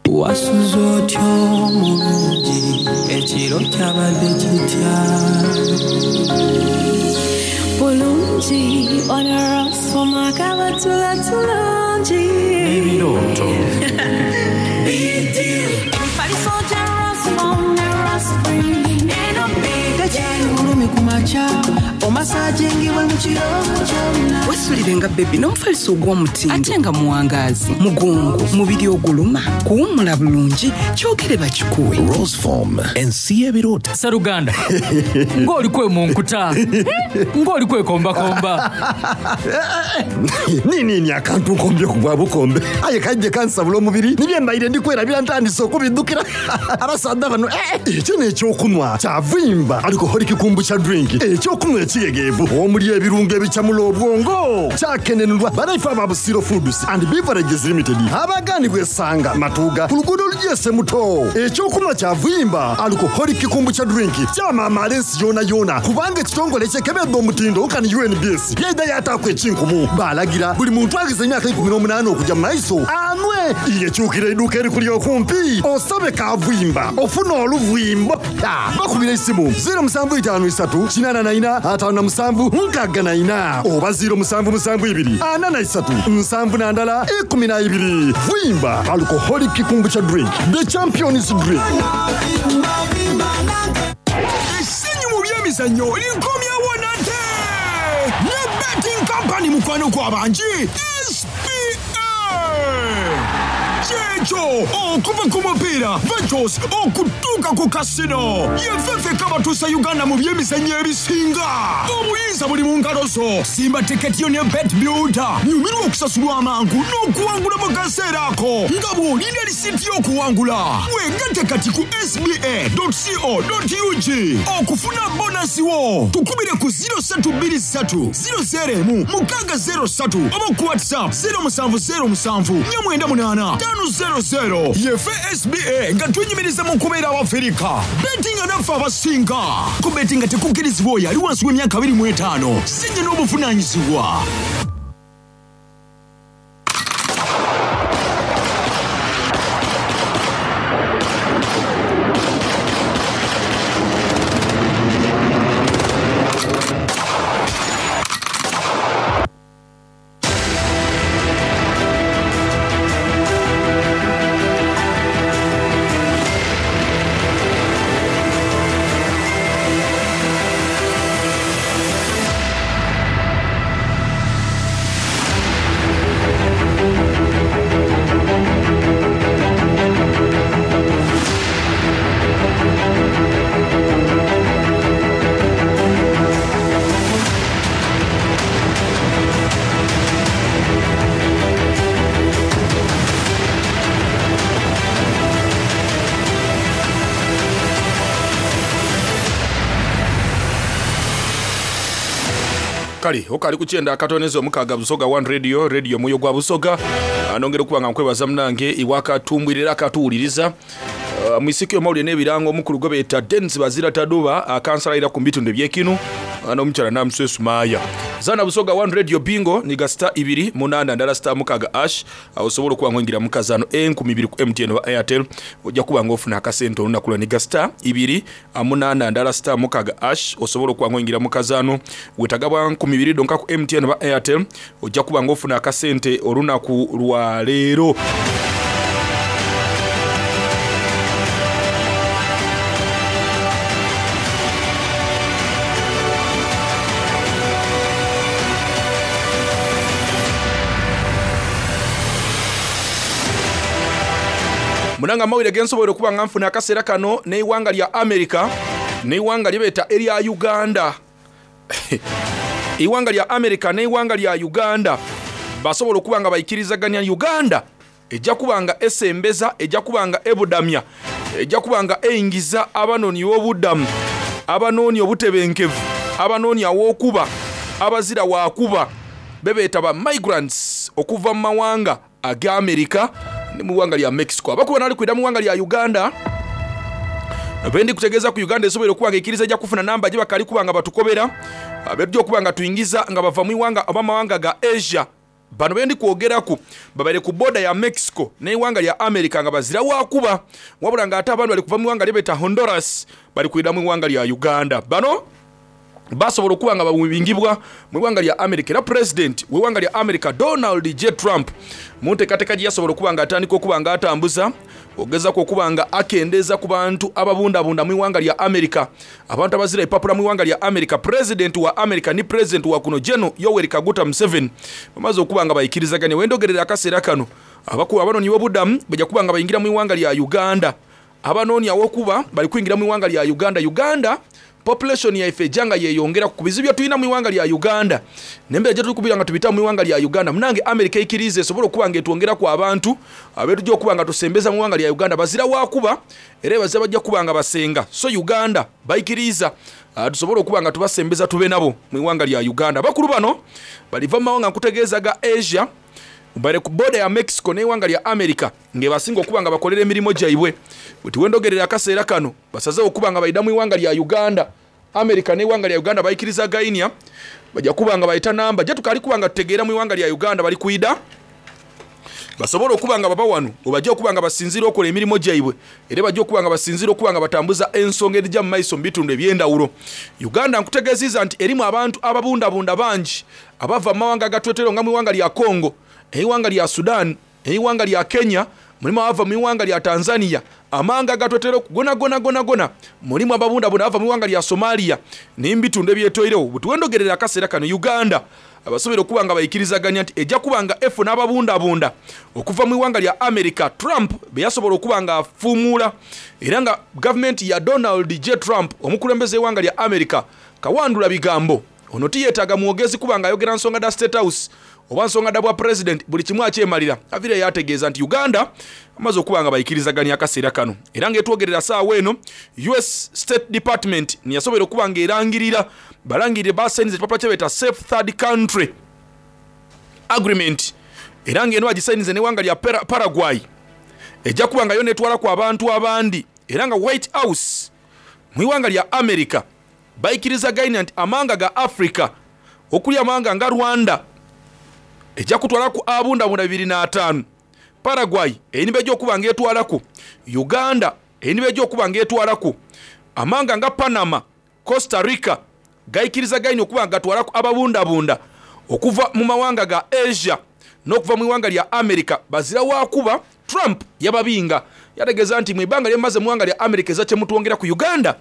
Wasuze otyo omulungi ekiro kyabadde kitya? Bulungi onarasoma kabatula tulungi. Ebirooto. Emifaliso gya Rasmom ne Raspring eno Tekyali bulumi ku makya omasajingibwe mu kiro kyonna. Weesulirenga bebi n'omufaliso ogw'omutindo ate nga muwangaazi mugongo mubiri oguluma kuwummula bulungi kyogere bakikuwe. Roseform ensi y'ebirooto. Sseruganda ng'oli kwe mu nkuta ng'oli kwekombakomba. Nini akantu nkombye ku bwa bukombe aye kajje kansabula omubiri nibye mbaire ndi kwerabira ntandise okubiddukira abasaadha bano ekyo n'ekyokunywa kyavimba alcoholic kombucha drink ekyokunywa ekigegeevu omuli ebirungo ebicamula obwongo kyakenenulwa banaife aba Busiro Foods and Beverages Limited abaganibwa esanga matuuga ku luguudo olugyese muto. Ekyokunywa kyavimba alcoholic kombucha drink kyamaamaala ensi yona yona kubanga ekitongole kyekebedde omutindo kani U N B S yaida yataako ekinkumu balagira buli muntu agize emyaka ikumi n'omunaana okujja mu maiso anwe yekyukira edduuka erikuli okumpi osabe kavimba ofuna oluvimbo. Bakubira esimu ziro musanvu itaano isatu kinaana na ina ataano na musanvu nkaaga na ina oba ziro musanvu musanvu ibiri ana na isatu nsanvu na ndala ikumi na ibiri. Vimba alcoholic kombucha drink, the champions drink. Essanyu mu byemizannyo likomyewo nate ne betting company mukwano gw'abangi S P A. Kyekyo okuva ku mupiira Ventures okutuuka ku kasino yefefe kabatuusa Uganda mu byemizannyo ebisinga. Obuyinza buli mu ngalo zo. Simba tiketi yo ne Bet Builder nyumirwa okusasulwa amangu n'okuwangula mu kaseera ako nga bw'olinda lisiti y'okuwangula. Weegatte kati ku S B A dot co dot U G okufuna bonasi wo. Tukubire ku ziro ssatu bbiri ssatu ziro zero emu mukaaga zero ssatu oba ku WhatsApp zero musanvu zero musanvu nnya mwenda munaana ttaano zero zero. Yefe S B A nga twenyumiriza mu kubeera Abafirika. Bettinga naffe abasinga. Ku bettinga tekukkirizibwa oyo ali wansi w'emyaka abiri mu etaano. Sinye n'obuvunaanyizibwa. Kale okali kukyenda akatoneza omukaga Busoga One Radio, radio mwoyo gwa Busoga. Nongera okuba nga nkwebaza munange iwakatumbwirira akatuwuliriza. Uh, mwisiki omawulire n'ebirango omukulu gwe beeta Denis Bazira Taduba akansalayira ku bitundu ebyekinu n'omukyala Namuswesu Maaya. Zana Busoga One Radio Bingo ni gasita ibiri munana ndala star mukaga ash osobola okuba ng'oyingira mu kazaano enkumi ibiri ku M T N oba Airtel ojja kuba ng'ofuna akasente olunaku lwa ni gasita ibiri munana ndala star mukaga ash osobola okuba ng'oyingira mu kazaano wetagabwa nkumi ibiri donka ku M T N oba Airtel ojja kuba ng'ofuna akasente olunaku lwa leero. Munanga mawire gensobola okuba nga nfuna akaseera kano n'eiwanga lya America n'eiwanga lye erya Uganda. Eiwanga lya America n'eiwanga lya Uganda basobola okuba nga bayikirizaganya Uganda ejja kuba nga esembeza, ejja kuba nga ebudamya, ejja kuba nga eyingiza abanoonyi b'obuddamu, abanoonyi obutebenkevu, abanoonyi aw'okuba, abazira waakuba bebeeta ba migrants okuva mu mawanga aga America ne mu ggwanga lya Mexico. Abakuba nali kwida mu ggwanga lya Uganda bendi kutegeeza ku Uganda esobola okuba nga ekkiriza ejja kufuna namba gye bakali kuba nga batukobera abedde okuba nga tuyingiza nga bava mu iwanga oba mawanga ga Asia. Bano bendi kwogeraku babaire ku border ya Mexico n'eiwanga lya America nga bazira wakuba, wabula nga ate abantu bali kuva mu iwanga lyebeta Honduras bali kwida mu iwanga lya Uganda. Bano basobola okuba nga babingibwa mu ggwanga lya America. Era president w'eggwanga lya America Donald J Trump mu nteekateeka gye yasobola okuba nga atandika okuba nga atambuza ogezaako okuba nga akendeeza ku bantu ababundabunda mu ggwanga lya America, abantu abazira epapula mu ggwanga lya America. President wa America ni president wa kuno Gen Yoweri Kaguta Museveni bamaze okuba nga bayikirizaganya. Wendogerera akaseera kano abakuba abanoonyi b'obuddamu bajja kuba nga bayingira mu ggwanga lya Uganda. Abanoonyi awokuba bali kuyingira mu ggwanga lya Uganda. Uganda population yaife ejanga yeyongera ku bizibu bye tulina mu ggwanga lya Uganda nembeera gye tuli kubira nga tubita mu ggwanga lya Uganda. Munange America ekkiriza esobola okuba nga etwongera ku abantu abeetujja okuba nga tusembeza mu ggwanga lya Uganda bazira wakuba era bazira bajja kuba nga basenga. So Uganda bayikiriza tusobole okuba nga tubasembeza tube nabo mu ggwanga lya Uganda. Bakulu bano baliva mu mawanga nkutegeeza ga Asia bali ku border ya Mexico n'eiwanga lya America ngebasinga okuba nga bakolera emirimu gyaibwe. Bwe tuwendogerera akaseera kano basazeewo okuba nga bayida mu iwanga lya Uganda. America n'eiwanga lya Uganda bayikiriza gainia bajja kuba nga bayita namba gye tukali kuba nga tutegeera mu iwanga lya Uganda bali kuyida basobola okuba nga baba wano obajja okuba nga basinziira okola emirimu gyaibwe era bajja okuba nga basinziira okuba nga batambuza ensonga erijja mu maiso mu bitundu eby'endawulo. Uganda nkutegeezizza nti erimu abantu ababundabunda bangi abava mu mawanga agatwetero nga mu iwanga lya Congo, eiwanga lya Sudan, eiwanga lya Kenya, mulimu abava mu iwanga lya Tanzania, amanga agatwetero gona gona gona gona, mulimu ababundabunda abava mu iwanga lya Somalia n'embitundu ebyetoirewo. Bwe tuwendogerera akaseera kano Uganda abasobola okuba nga bayikirizaganya nti ejja kuba nga efu n'ababundabunda okuva mu iwanga lya America Trump be yasobola okuba nga afuumuula, era nga gavumenti ya Donald J Trump omukulembeze w'eiwanga lya America kawandula bigambo ono tiyeetaaga mwogezi kuba nga ayogera nsonga da State House oba nsonga da bwa president, buli kimu akyemalira. Avire yategeeza nti Uganda amaze okuba nga bayikirizaganya akaseera kano era ng'etwogerera saawa eno U S State Department niyasobola okuba nga erangirira balangirire basayiniza ekipapula kye beeta Safe Third Country Agreement era ng'eno bagisayinize n'eggwanga lya Paraguay ejja kuba nga yo netwalaku abantu abandi era nga White House mu iwanga lya America bayikirizaganya nti amanga ga Africa okuli amanga nga Rwanda ejja kutwalaku abundabunda bibiri na ataano, Paraguay enibe ejja okuba ng'etwalaku, Uganda enibe ejja okuba ng'etwalaku, amanga nga Panama, Costa Rica gayikirizaganya okuba nga gatwalaku ababundabunda okuva mu mawanga ga Asia n'okuva mu iwanga lya America bazira wakuba. Trump yababinga yategeeza nti mu ibanga lyemaze mu iwanga lya America eza kyemutwongera ku Uganda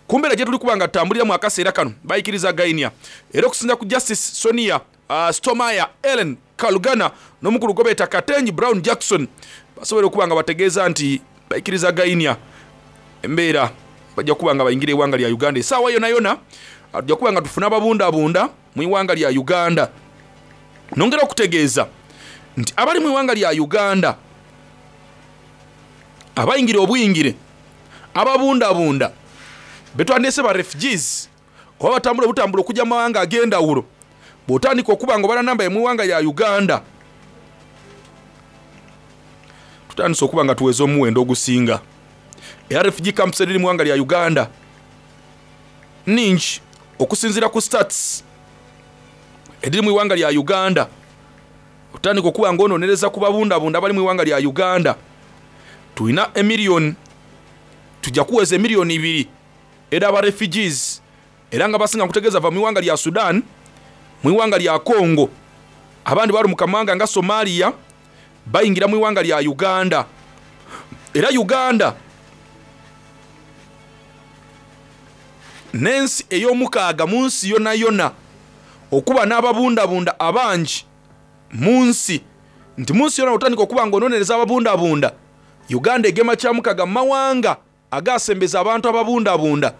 kumbeera gye tuli kuba nga tutambuliramu akaseera kano bayikirizaganya. Era okusinza ku Justice Sonia uh, Sotomayor, Ellen Kalugana n'omukulu gwe beeta Ketanji Brown Jackson basobola okuba nga bategeeza nti bayikirizaganya embeera bajja kuba nga bayingira eggwanga lya Uganda essaawa yonna yonna tujja kuba nga tufuna ababundabunda mu iwanga lya Uganda. Nongera okutegeeza nti abali mu iwanga lya Uganda abayingira obuyingire ababundabunda betwandese ba refugees oba batambula obutambula okujja mu mawanga ag'endawulo Bw'otandika okuba nga obala namba y'emuwanga ya Uganda, tutandise okuba nga tuweza omuwendo ogusinga. Era refugee camps ediri mu ggwanga lya Uganda nningi okusinziira ku stats ediri mu ggwanga lya Uganda. Otandika okuba nga ononereza ku babundabunda abali mu ggwanga lya Uganda, tulina emiliyoni, tujja kuweza emiliyoni ibiri era aba refugees, era nga basinga nkutegeeza va mu ggwanga lya Sudan, mu ggwanga lya Congo, abandi bali mu kamawanga nga Somalia, bayingira mu ggwanga lya Uganda. Era Uganda n'ensi ey'omukaaga mu nsi yonna yonna okuba n'ababundabunda abangi mu nsi. Nti mu nsi yonna otandika okuba nga ononereza ababundabunda, Uganda egema kyamukaga mu mawanga agasembeza abantu ababundabunda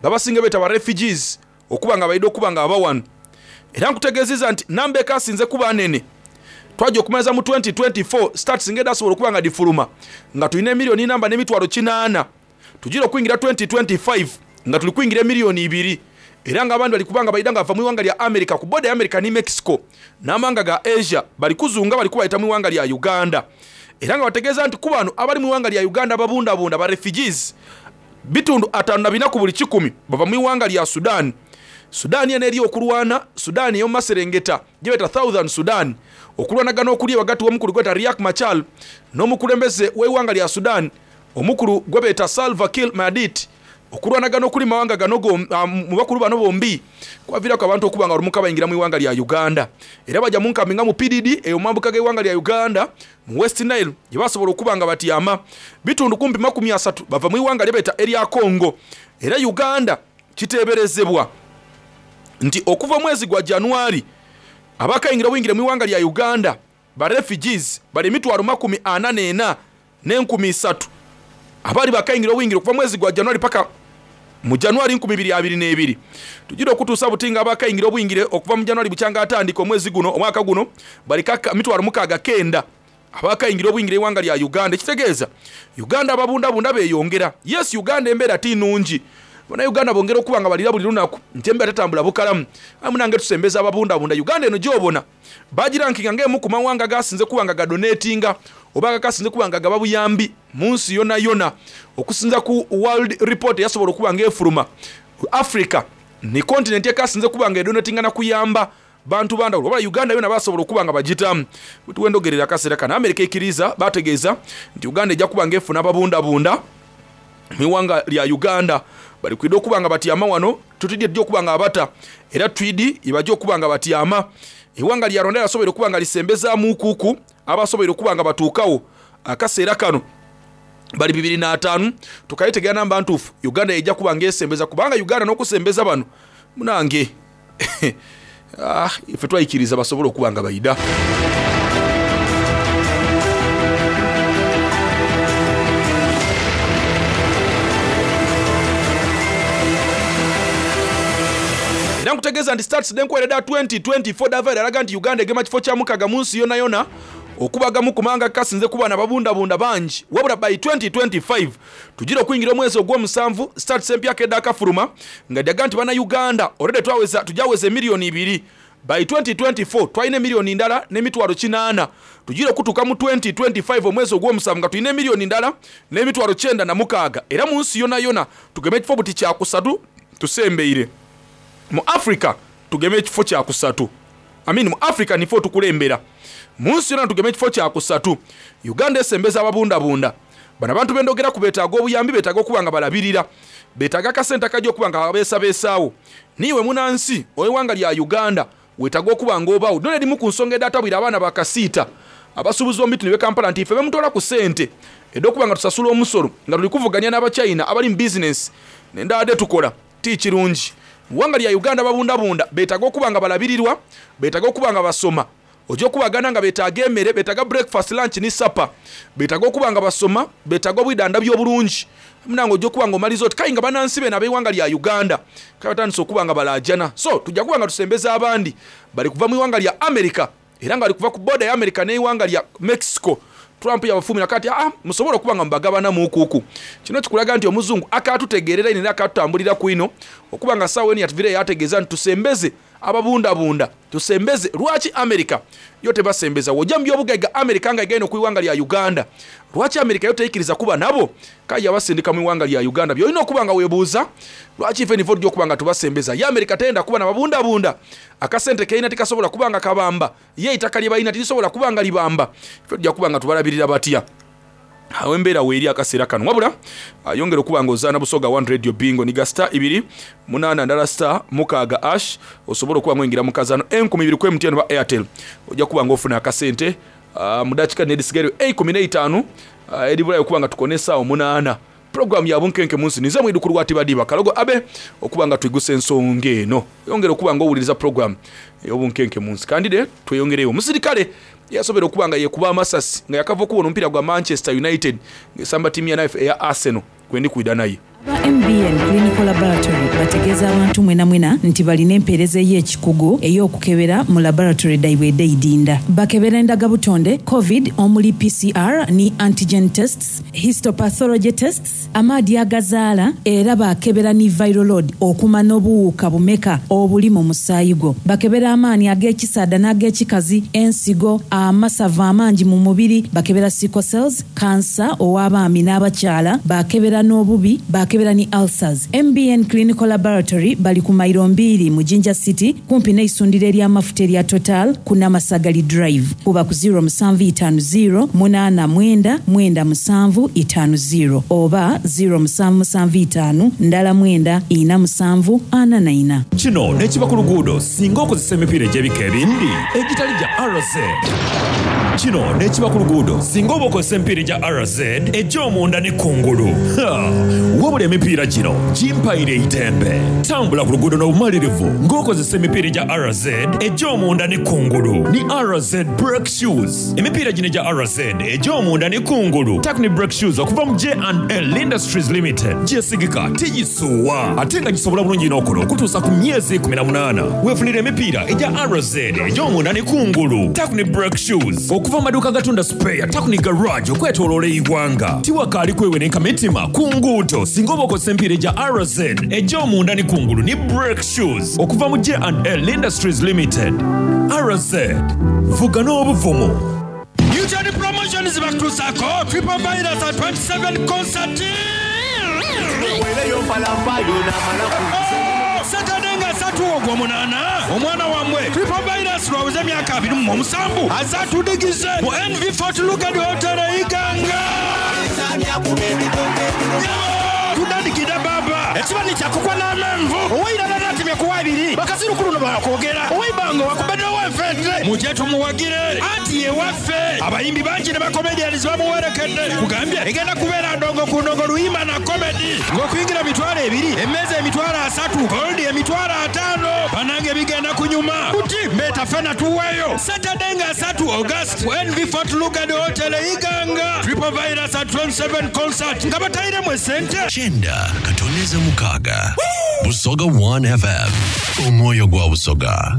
babasinga beeta ba refugees okuba nga baidde okuba nga abawano. Era nkutegeezezza nti namba ekasinze kuba nene, twajja okumaliza mu twenty twenty-four stats ng'eda asobola okuba nga difuluma nga tulina emiliyoni namba n'emitwalo kinaana, tugira okuyingira twenty twenty-five nga tuli kuyingira emiliyoni ibiri. Era nga abandi bali kubanga bayida nga bava mu ggwanga lya America ku border ya America ne Mexico n'amawanga ga Asia, bali kuzunga bali kubayita mu ggwanga lya Uganda. Era nga bategeeza nti ku bano abali mu ggwanga lya Uganda ababundabunda ba refugees bitundu ataano na bina ku buli kikumi bava mu ggwanga lya Sudan. Sudan eno eri okulwana, Sudan ey'omu maserengeta gye bayita Southern Sudan, okulwanagana okuli wakati w'omukulu gweta Riek Machar n'omukulembeze w'eggwanga lya Sudan omukulu gwe bayita Salva Kiir Mayardit. Okulwanagana okuli mawanga gano mu bakulu bano bombi kwaviirako abantu okuba nga olumuka bayingira mu ggwanga lya Uganda. Era bajja mu nkambi nga mu P D D eyo mambuka g'eggwanga lya Uganda mu West Nile gye basobola okuba nga batyama. Bitundu kumpi makumi asatu bava mu ggwanga lye bayita erya Congo. Era Uganda kiteeberezebwa nti okuva mwezi gwa Januari abakayingira obuyingire mu ggwanga lya Uganda ba refugees bali emitwalo makumi ana n'ena n'enkumi isatu abali bakayingira obuyingire okuva mwezi gwa Januari paka mu Januari nkumi bibiri abiri n'ebiri. Tugira okutuusa butinga abakayingira obuyingire okuva mu Januari bukyanga atandika omwezi guno omwaka guno bali kaka mitwalo mukaaga kenda abakayingira obuyingire eggwanga lya Uganda. Ekitegeeza Uganda ababundabunda beeyongera. Yes, Uganda embeera ti nnungi, Bannayuganda bongera okuba nga balira buli lunaku nti embeera tetambula bukalamu. Aye munange tusembeza ababundabunda. Uganda eno gy'obona bagirankinga ng'emu ku mawanga gasinze kuba nga gadonatinga oba nga gasinze kuba nga gaba buyambi mu nsi yonna yonna. Okusinza ku World Report eyasobola okuba ng'efuluma, Africa ni continent ekasinze kuba nga edonatinga na kuyamba bantu bandawulo. Wabula Uganda yonna basobola okuba nga bagitamu. Tuwendogerera akaseera kano America ekkiriza, bategeeza nti Uganda ejja kuba ng'efuna ababundabunda mu ggwanga lya Uganda. Bali kwidde okuba nga batyama wano, tutidde ddi okuba nga abata, era twidi ibajja okuba nga batyama. Eggwanga lya Rwanda lyasobola okuba nga lisembezaamu kuku abasobola okuba nga batuukawo akaseera kano bali bibiri n'ataano. Tukayitegera namba ntuufu Uganda ejja kuba ng'esembeza, kubanga Uganda n'okusembeza bano munange ah, ife twayikiriza basobole okuba nga bayida. Era nkutegeeza nti stats denkwera twenty twenty-four dava eraga nti Uganda egema kifo kya mukaga mu nsi yonna yonna okubagamu kumanga kasinze kuba n'ababundabunda bangi. Wabula by twenty twenty-five tugira okuyingira omwezi ogw'omusanvu stats empya kedda akafuluma nga dyaga nti bannayuganda already twaweza, tujaweza emiliyoni ibiri. By twenty twenty-four twalina emiliyoni ndala n'emitwalo kinaana. Tugira okutuuka mu twenty twenty-five omwezi ogw'omusanvu nga tulina emiliyoni ndala n'emitwalo kyenda na mukaaga. Era mu nsi yonna yonna tugeme ekifo buti kyakusatu tusembeire. Mu Africa tugeme ekifo kyakusatu. I mean, mu Africa nifo tukulembera. Mu nsi yonna tugeme ekifo kyakusatu. Uganda esembeza ababundabunda. Bano abantu bendogera ku beetaaga obuyambi, beetaaga okuba nga balabirira, beetaaga akasente akajja okuba nga babeesabeesaawo. Niiwe munansi ow'eggwanga lya Uganda weetaaga okuba ng'obaawo. Dona erimu ku nsonga edatabwira abaana bakasiita abasuubuzi b'omu bitundu by'e Kampala nti ife bemutwala ku ssente ed'okuba nga tusasula omusolo nga tuli kuvuganya n'Abachina abali mu bizinensi n'endala tukola ti kirungi. Mu ggwanga lya Uganda babundabunda beetaaga okuba nga balabirirwa, beetaaga okuba nga basoma. Ojja okubagana nga beetaaga emmere, beetaaga breakfast, lunch ne supper, beetaaga okuba nga basoma, beetaaga obwidandabyo obulungi. Munange ojja okuba nga omaliza oti kayi nga bannansi beno ab'eggwanga lya Uganda kale batandise okuba nga balaajana. So tujja kuba nga tusembeza abandi bali kuva mu ggwanga lya America, era nga bali kuva ku border ya America n'eggwanga lya Mexico. Trump yabafumira kati ah, musobola okuba nga mubagabana muukuuku. Kino kikulaga nti omuzungu akatutegeerera ino era akatutambulira ku ino okuba nga ssaawa eno yatuvire yategeeza nti tusembeze Ababundabunda tusembeze. Lwaki America yo tebasembeza? Wojja mu byobugaiga, America nga egenda ku iwanga lya Uganda, lwaki America yo teyikiriza kuba nabo? Kaye abasindika mu iwanga lya Uganda. Byolina okuba nga weebuuza, lwaki ife nivo tujja okuba nga tubasembeza? Ye America teyenda kuba nababundabunda. Akasente keina tikasobola kuba nga kabamba, ye ettaka lye balina tirisobola kuba nga libamba. Ife tujja kuba nga tubalabirira batya? Awo embeera weeri akaseera kano. Wabula ayongera okuba nga ozaana Busoga One Radio Bingo, niga star ibiri munaana ndala star mukaaga hash, osobola okuba nga oyingira mu kazaano enkumi ibiri ku M T N oba Airtel, ojja kuba nga ofuna akasente uh, mu dakiika nedisigaire eikumi n'eitaano uh, eribulayo okuba nga tukona essaawa omunaana. Puroguramu ya Bunkenke Munsi, nize mwidukulu wa Tibadiba Kalogo Abe, okuba nga twigusa ensonga eno. Yongera okuba nga owuliriza puroguramu ey'Obunkenke Munsi. Kandide tweyongereyo. Omusirikale yasobera okuba nga yekuba amasasi nga yakava okubona omupiira gwa Manchester United ng'esamba ttiimu ya naife eya Arsenal. Kwendi kwida naye. Aba M B N Clinical Laboratory bategeeza abantu mwena mwena nti balina empeereza ey'ekikugu ey'okukebera mu laboratory daibwe edeidinda. Bakebera endagabutonde, COVID omuli P C R ni antigen tests, histopathology tests, amaadi agazaala, era bakebera ni viral load okumanya obuwuka bumeka obuli mu musaayi gwo. Bakebera amaanyi ag'ekisaada n'ag'ekikazi, ensigo, amasavu amangi mu mubiri, bakebera sickle cells, kansa ow'abaami n'abakyala, bakebera n'obubi, bakebera ni ulcers. M B N Clinical Laboratory bali ku mairo mbiri mu Jinja City, kumpi n'eisundiro ery'amafuta erya Total ku Namasagali Drive. Kuba ku zero seven five zero eight nine nine seven five zero oba zero seven seven five ndala mwenda ina musanvu ana na ina. Kino nekiba ku luguudo singa okozesa emipiira egy'ebika ebindi egitali gya R Z. Kino nekiba ku luguudo singa oba okozesa emipiira egya R Z egy'omunda ne kungulu. Ha! Wabula emipiira gino gimpaire eitembe. Tambula ku luguudo n'obumalirivu ng'okozesa emipiira egya R Z egy'omunda ne kungulu ni R Z brake shoes. Emipiira gino egya R Z egy'omunda ne kungulu Takni brake shoes okuva mu J and L Industries Limited gyesigika, tigisuuwa, ate nga gisobola bulungi n'okola okutuusa ku myezi kkumi na munaana. Weefunira emipiira egya R Z egy'omunda ne kungulu Takni brake shoes okuva mu maduuka gatunda spare Takni Garage okwetooloola eggwanga. Tiwakaali kwewenenka mitima ku nguudo singa oba okozesa emipiira egya R Z egy'omunda ne kungulu ni brake shoes okuva mu J and L Industries Limited. R Z, vuga n'obuvumu. Newton Promotions bakutuusako Triple Virus at twenty-seven concert. Saturday nga ssatu ogw'omunaana, omwana wammwe Triple Virus lwabuze emyaka abiri mu musanvu azatudigize mu N V Fort Lugard Hotel e Iganga. Tudandikidde baba ekibani kyakukwa n'amenvu owairala natemya kuwa abiri bakazirukulu bakwogera owaibanga wakubaddewo enfente mujye tumuwagire anti yewaffe. Abayimbi bangi ne bacomedians bamuwerekedde kugambye egenda kubeera ndongo ku ndongo, luyimba na comedy, ng'okuyingira mitwalo ebiri, emmeeza emitwalo asatu, gold emitwalo ataano. Banange bigenda kunyuma kuti mbeeta fena tuweeyo. Saturday nga asatu August ku N V Fort Lugard Hotel e Iganga, Triple Virus at twenty-seven concert nga batayiremu esente. Kyenda katoneza mukaga Busoga one F M, omwoyo gwa Busoga.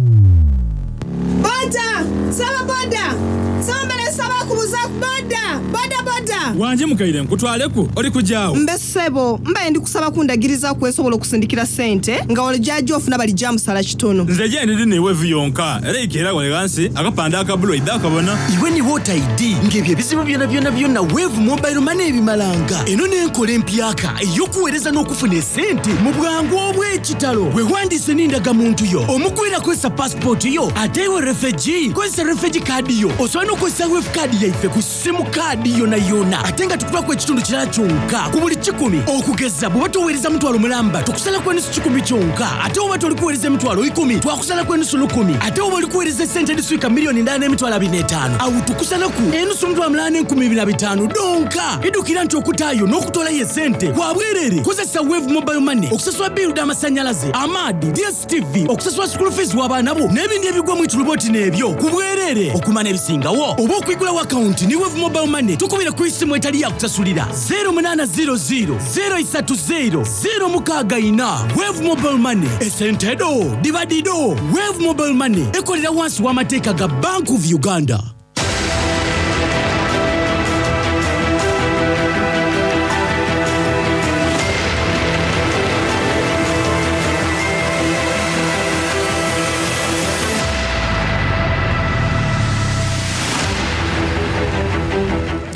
Boda! Saba boda! Saba mbere, saba kubuza boda! Boda boda! Wanje mukaire, nkutwaleku oli kujaawo? Mbe ssebo, mbaye ndi kusaba kundagiriza kwesobola okusindikira ssente nga olijajja ofuna balijja musala kitono. Nze gye ndiri niwe yonka era ikeera wale ghansi akapande akabulu idde akabona. Iwe ni Voter I D ng'ebyo ebizibu byonna byonna byonna Wave Mobile Money ebimalanga. Eno n'enkola empyaka ey'okuweereza n'okufuna esente mu bwangu obw'ekitalo. Weewandiise n'endagamuntu yo, omugwira kozesa pasipooti yo, ate iwe refugee kozesa refugee card yo. Osobola n'okukozesa Wave card yaife ku simu kaadi yonna yonna, ate nga tukubako ekitundu kirala kyonka ku buli kikumi. Okugeza, bw'oba toweereza mutwalo mulamba, tukusalako enusu kikumi kyonka, ate oba toli kuweereza emitwalo ikumi, twakusalako enusu lukumi, ate oba oli kuweereza esente ediswika miliyoni ndala n'emitwalo abiri n'etaano, awo tukusalaku enusu mutwalo mulala n'enkumi bibiri na bitaano donka. Idukira nti okutaayo n'okutolayo esente kwa bwerere. Kozesa Wave Mobile Money okusasula biiru d'amasannyalaze, amaadi, D S T V, okusasula school fees w'abaana bo n'ebindi ebigwa mu ituluboti n'ebyo ku bwerere. Okumanya ebisingawo oba okwigulawo akawunti ni Wave Mobile Money, tukubire ku isimu etali yakusasulira zero munaana zero zero zero isatu zero zero mukaaga ina. Wave Mobile Money, esente do diba dido. Wave Mobile Money ekolera wansi w'amateeka ga Bank of Uganda.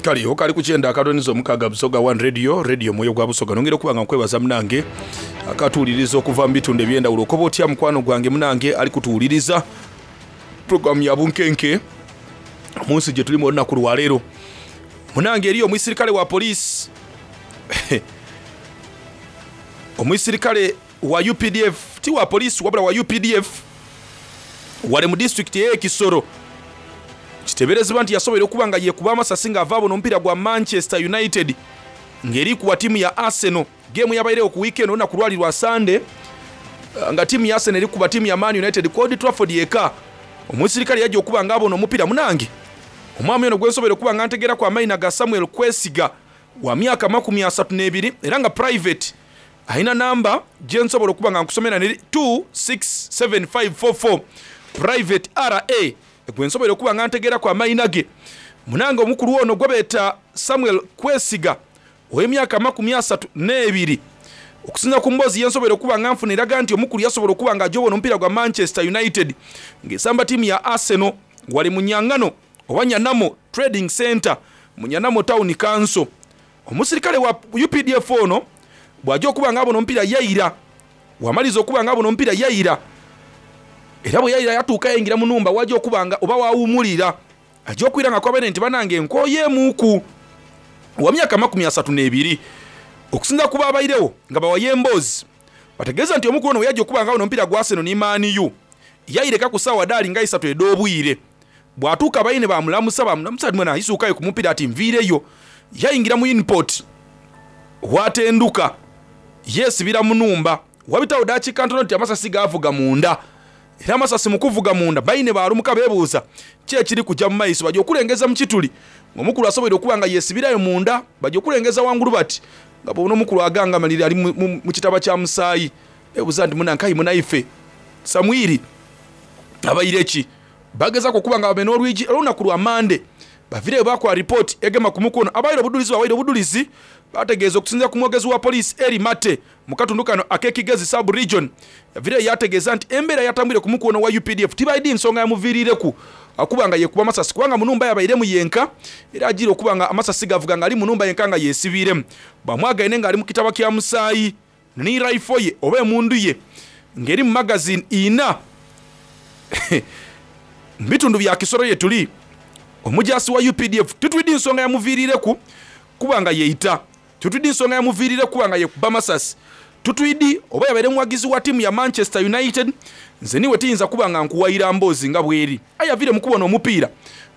Kale okali ku kyenda akatoniza omukaaga Busoga One Radio, radio mwoyo gwa Busoga. Nongera okuba nga nkwebaza munange akatuwuliriza okuva mu bitundu eby'endawulo. Okoba otya mukwano gwange munange ali kutuwuliriza programu ya Bunkenke mu nsi gye tulimu olunaku lwaleero. Munange eriyo omusirikale wa poliisi omusirikale wa U P D F, ti wa poliisi wabula wa U P D F wale mu disitulikiti ey'e Kisoro. Kiteeberezebwa nti yasobola okuba nga yeekuba amasasi ng'ava abona omupiira gwa Manchester United ng'eri kuwa ttiimu ya Arsenal. Geemu yabairewo ku weekend olunaku lwali lwa Sunday nga ttiimu ya Arsenal eri kuba ttiimu ya Man United ku Old Trafford yeka. Omusirikale yajja okuba ng'abona omupiira munange. Omwami ono gwe nsobola okuba nga ntegeeraku amayina ga Samuel Kwesiga wa myaka makumi asatu n'ebiri era nga private alina namba gye nsobola okuba nga nkusomera neri two six seven five four four private R A gwe nsobola okuba nga ntegeeraku amayina ge. Munange omukulu ono gwe beeta Samuel Kwesiga ow'emyaka makumi asatu n'ebiri. Okusinza ku mboozi ye nsobola okuba nga nfuna eraga nti omukulu yasobola okuba nga ajobona omupiira gwa Manchester United ng'esamba ttiimu ya Arsenal wali mu Nyangano oba Nyanamo Trading Center mu Nyanamo Town Council. Omusirikale wa U P D F ono bw'ajja okuba nga abona omupiira yayira, wamaliza okuba nga abona omupiira yayira, era bwe yayira yatuuka yayingira mu nnumba wajja okuba nga oba wawummulira ajja okwira nga kwabene nti banange nkooyeemuuku wa myaka makumi asatu n'ebiri. Okusinza ku baabairewo nga bawaye emboozi bategeeza nti omukulu ono bwe yajja okuba nga abona omupiira gwa Arsenal ne Man U yayireka ku ssaawa ddaali nga isatu ed'obwire. Bw'atuuka bayine bamulamusa, bamulamusa ati mwana ayisuukayo ku mupiira ati nviireyo. Yayingira mu input watenduka yeesibira mu nnumba. Wabitawo ddakiika ntono nti amasasi gaavuga munda, era amasasi mu kuvuga munda bayine baalumuka beebuuza ki ekiri kujja mu maiso. Bajja okulengeza mu kituli ng'omukulu asoboire okuba nga yeesibirayo munda, bajja okulengeza wangulu bati nga bw'obona omukulu agangamalire ali mu, mu, mu kitaba kya musaayi. Beebuuza nti munankayi munaife Samwiri abaire ki? Bagezaako okuba nga bamena olwigi olunaku lwa Mande bavireyo bakola ripooti egema ku mukono. Abaire obudulizi bawaire obudulizi bategeeza okusinziira ku mwogezi wa poliisi Eri Mate mu katundu kano ak'Ekigezi sub region. Yavireyo yategeeza nti embeera yatambwire ku mukono wa U P D F tibaidi nsonga yamuviirireku akuba nga yekuba amasasi kubanga mu nnumba yabairemu yenka, era agira okuba nga amasasi gavuga ng'ali mu nnumba yenka nga yeesibiiremu. Bamwagaine ng'ali mu kitaba kya musaayi ni rifle ye oba emundu ye ng'eri mu magazine ina mu bitundu bya Kisoro ye tuli. Omujasi wa U P D F titwidi nsonga yamuviirireku kuba nga yeita, titwidi nsonga yamuviirire kuba nga yekuba masasi, tutwidi oba yabaire muwagizi wa ttiimu ya Manchester United. Nze niwe tiyinza kuba nga nkuwayira mboozi nga bweri. Aye avire mu kubona omupiira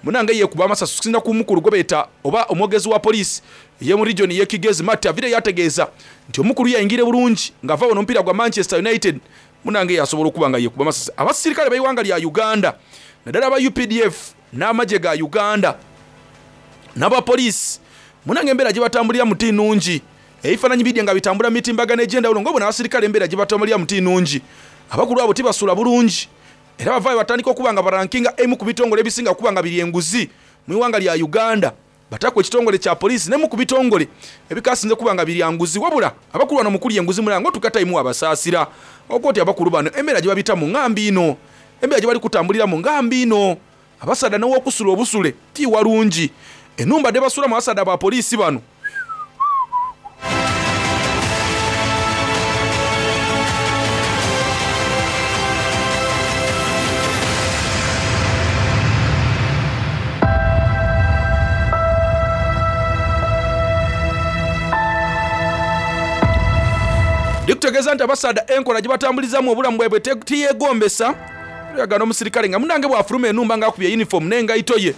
munange yekuba amasasi okusinza ku mukulu gwe beeta oba omwogezi wa poliisi ye mu region y'e Kigezi Mate avire yategeeza nti omukulu yayingire bulungi ng'ava wano omupiira gwa Manchester United munange yasobola okuba nga yekuba amasasi. Abasirikale b'eiwanga lya Uganda naddala aba U P D F n'amagye ga Uganda n'abapoliisi munange embeera gye batambulira mu ti nnungi. Ebifaananyi bidye nga bitambula mu mitimbagano egy'endawulo ng'obona abasirikale embeera gye batambulira mu ti nnungi. Abakulu abo tibasula bulungi era bavaayo batandika okuba nga barankinga emu ku bitongole ebisinga okuba nga biri enguzi mu iwanga lya Uganda. Batakwa ekitongole kya poliisi nemu ku bitongole ebikasinze kuba nga biri anguzi. Wabula abakulu bano mukuli enguzi mulango tukatayimu abasaasira okoti abakulu bano embeera gye babita mu ngambi ino, embeera gye bali kutambulira mu ngambi ino. Abasaada n'owokusula obusule ti walungi. Ennumba de basula mu basaada ba poliisi bano ndikutegeeza nti abasaada enkola gye batambulizamu obulamu bwabwe tiyeegombesa. Oyagala omusirikale nga munange bw'afuluma ennumba ng'akubye uniform n'engaito ye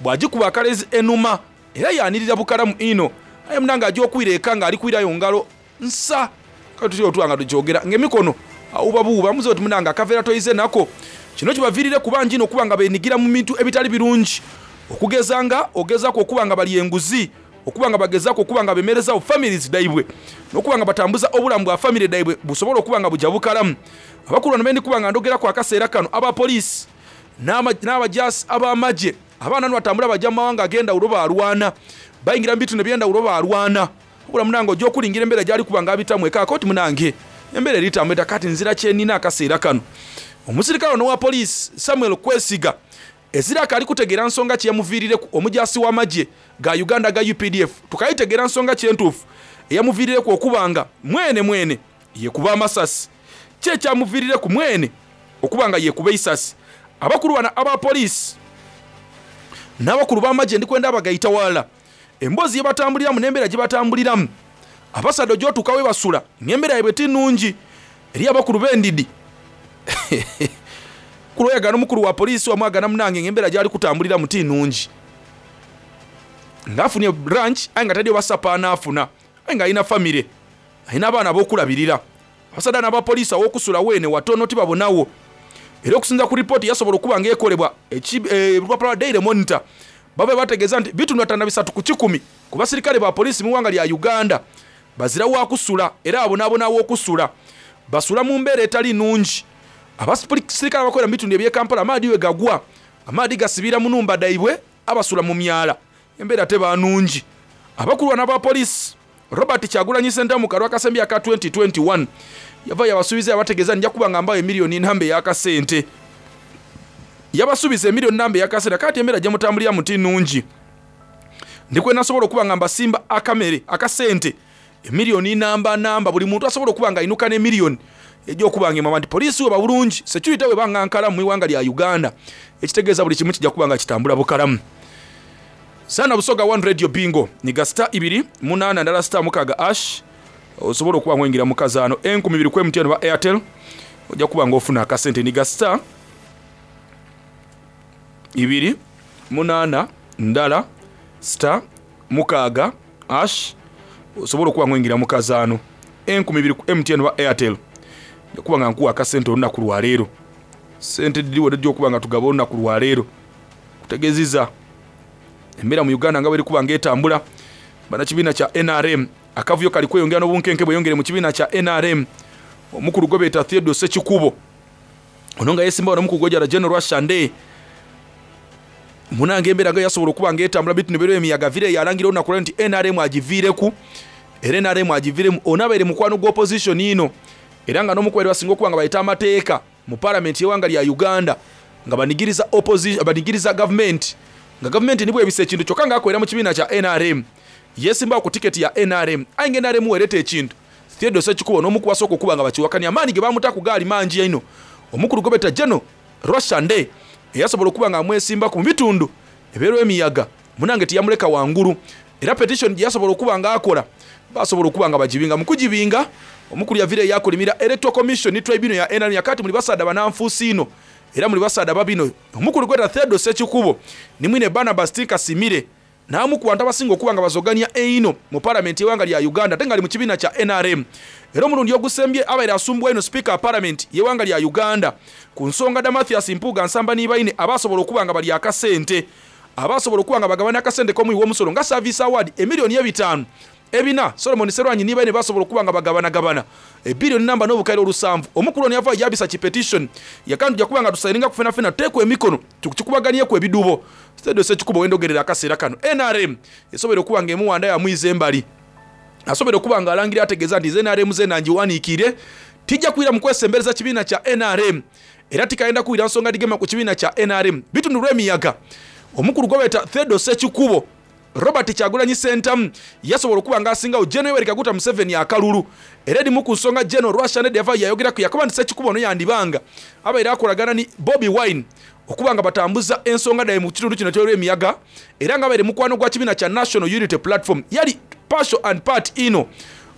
bw'agikuba akalezi enuma era yaanirira bukalamu ino. Aye munange ajja okwira eka ng'ali kwirayo ngalo nsa kale tutya otwa nga tukyogera ng'emikono awubabuuba muze oti munange akaveera toyize nako. Kino kibaviirire kuba njino okuba nga beenigira mu bintu ebitali birungi, okugeza nga ogezaako okuba nga bali enguzi, okuba nga bagezaako okuba nga bemerezaawo families daibwe n'okuba nga batambuza obulamu bwa family daibwe busobole okuba nga bujja bukalamu. Abakulu bano bendi kuba nga ndogerako akaseera kano abapoliisi n'ama-, n'abajaasi ab'amagye abaana bano batambula bajja mu mawanga ag'endawulo baalwana, bayingira mu bitundu eby'endawulo baalwana. Wabula munange ojja okulingira embeera gy'ali kuba nga abitamu eka koti munange embeera eritambula kati nzira kye nnina akaseera kano. Omusirikale ono wa poliisi Samuel Kwesiga Ezira akali kutegeera nsonga ki yamuviirireku omujasi w'amagye ga Uganda ga U P D F. Tukayitegeera nsonga ki entuufu eyamuviirireku okubanga mwene mwene yekuba amasasi. Ki ekyamuviirireku mwene okubanga yekuba eisasi. Abakulu bano aba poliisi n'abakulu b'amagye ndikwenda abagaita wala. Emboozi gye batambuliramu n'embeera gye batambuliramu. Abasadde gy'otuuka we basula ng'embeera yaabwe ti nnungi eri abakulu b'endidi. Kuloyagana omukulu wa poliisi wamwagana munange ng'embeera gy'ali kutambuliramu ti nnungi. Ng'afunye branch aye nga taddiyo basapa anaafuna, aye ng'alina famire, alina abaana ab'okulabirira. Abasadde n'abapoliisi aw'okusula weene watono tibabonawo. Era okusinza ku ripooti yasobola okuba ng'ekolebwa olupapula lwa Daily Monitor, babe bategeeza nti bitundu ataano bisatu ku kikumi ku basirikale ba poliisi mu ggwanga lya Uganda bazira waakusula era abonaabona w'okusula. Basula mu mbeera etali nnungi. Abasirikale abakolera mu bitundu eby'e Kampala amaadi we gagwa, amaadi gasibira mu nnumba daibwe, abasula mu myala, embeera teba nnungi. Abakulu bano aba poliisi Robert Kyagulanyi Ssentamu kalwa akasembi aka twenty twenty-one yava yabasuubiza yabategeeza nja kuba nga mbawe emiliyoni namba ey'akasente. Yabasuubiza emiliyoni namba ey'akasente, kati embeera gye mutambulira muti nnungi. Ndikwe nasobola okuba nga mbasimba akamere akasente emiliyoni namba namba, buli muntu asobola okuba nga ayinuka n'emiliyoni ejja okuba nga emama nti poliisi weba bulungi, security weba nga nkalamu mu ggwanga lya Uganda, ekitegeeza buli kimu kijja kuba nga kitambula bukalamu. Sana Busoga one Radio Bingo ni ga star ibiri munaana ndala star mukaaga ash, osobola okuba ng'oyingira mu kazaano enkumi bibiri ku M T N oba Airtel, ojja kuba ng'ofuna akasente. Ni ga star ibiri munaana ndala star mukaaga ash, osobola okuba ng'oyingira mu kazaano enkumi bibiri ku M T N oba Airtel, ojja kuba nga nkuwa akasente olunaku lwaleero. Sente diriwo ejja okuba nga tugaba olunaku lwaleero. Kutegeezezza embeera mu Uganda nga bweri kuba ng'etambula. Bannakibiina kya N R M akavuyo kali kweyongera n'obunkenke bweyongere mu kibiina kya N R M. Omukulu gwe beeta Theodore Ssekikubo ono nga yeesimbawo n'omukulu gw'ejjala General Rwashande. Munange embeera nga yasobola okuba ng'etambula bitu ne beera emiyaga vire yalangira olunaku lwa nti N R M agiviireku, era N R M agiviiremu. Ono abeere mukwano gwa opposition ino, era nga n'omukubeera basinga okuba nga bayita amateeka mu palamenti y'eggwanga lya Uganda nga banigiriza opposition, banigiriza gavumenti, nga gavumenti nibwo ebisa ekintu kyokka ng'akolera mu kibiina kya N R M. Yeesimbawo ku tiketi ya N R M, aye nga N R M weereeta ekintu. Theodore Ssekikubo n'omu ku basooka okuba nga bakiwakanya, amaanyi ge baamuta ku gaali mangi nnyo. Omukulu gwe beeta General Rwashande eyasobola okuba nga amwesimbaku mu bitundu ebeerwa emiyaga, munange teyamuleka wangulu. Era petition gye yasobola okuba ng'akola, basobola okuba nga bagibinga. Mu kugibinga, omukulu yaviira eyakulimira Electoral Commission ne Tribunal ya N R M yakati muli basaadha bananfuusi ino, era muli basaadha babino. Omukulu gweta Theodore Ssekikubo ni mwine Barnabas Tinkasimire n'amu ku bantu abasinga okuba nga bazoganya eino mu palamenti y'eggwanga lya Uganda, ate nga ali mu kibiina kya N R M. Era omulundi ogusembye abaire asumbwa eno sipiika wa palamenti y'eggwanga lya Uganda ku nsonga da Mathias Mpuuga Nsamba Nibaine abasobola okuba nga bali akasente, abasobola okuba nga bagabana akasente k'omuwi w'omusolo nga service award emiliyoni ebitaano ebina Solomon Serwanyi Nibaine basobola okuba nga bagabanagabana ebiliyoni namba n'obukaire olusanvu. Omukulu ono yava yabisa ki petition yakantu kuba nga tusayininga ku fena fena tuteekwa emikono tukikubaganyeku ebidubo. Theodore Ssekikubo wendogerera akaseera kano N R M esobola okuba nga emuwanda yamwiza embali, asobola okuba nga alangira ategeeza nti N R M ze nangiwaniikire, tijja kwira mu kwesembereza kibiina kya N R M, era tikayenda kuwira nsonga digema ku kibiina kya N R M. Bitundu lw'emiyaga omukulu gwe beeta Theodore Ssekikubo Robert Kyagulanyi Ssentamu yasobola okuba ng'asingawo General Yoweri Kaguta Museveni akalulu. Era erimu ku nsonga General Rwashande yava yayogerako yakoba nti Ssekikubo ono yandibanga abaire akolagana ni Bobi Wine okuba nga batambuza ensonga daye mu kitundu kino ky'olw'emiyaga, era nga abaire mukwano gwa kibiina kya National Unity Platform yali partial and part ino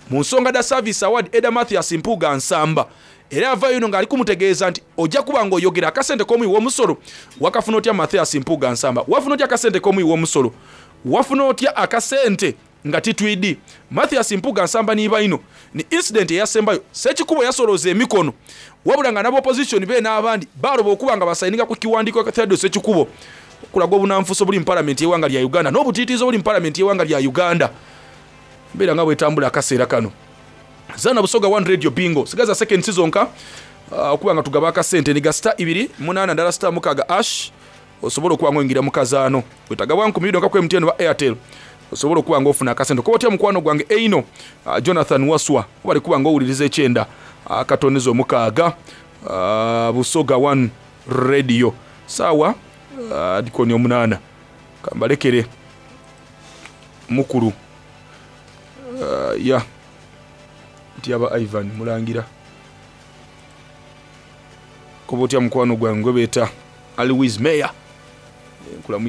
mu nsonga da Service Award Eda Mathias Mpuuga Nsamba. Era avaayo ino ng'ali kumutegeeza nti ojja kuba ng'oyogera akasente k'omuwi w'omusolo wakafuna otya Mathias Mpuuga Nsamba, wafuna otya akasente k'omuwi w'omusolo, wafuna otya akasente nga titwidi. Mathias Mpuuga Nsamba Nibaino ni incident eyasembayo Ssekikubo yasolooza emikono, wabula nga n'aba opposition be n'abandi baaloba okuba nga basayininga ku kiwandiiko kya Theodore Ssekikubo okulaga obunanfuusi obuli mu palamenti y'eggwanga lya Uganda n'obutiitiizi obuli mu palamenti y'eggwanga lya Uganda. Mbeera nga bwetambula akaseera kano. Zana Busoga one Radio Bingo sigaza second season ka, uh, okuba nga tugaba akasente ni ga star ibiri munaana ndala star mukaaga ash, osobola okuba ng'oyingira mu kazaano. Wetagabwa nkumi bibiri ku M T N oba Airtel, osobola okuba ng'ofuna akasente. Kuba otya mukwano gwange eino, uh, Jonathan Waswa oba kuba ng'owuliriza ekyenda akatonizo mukaaga, uh, Busoga one Radio. Sawa uh, dikoni omunaana. Kambalekere mukulu uh, ya nti aba Ivan Mulangira koba otya mukwano gwange gwe beeta Alwis Mayor, nkulamu.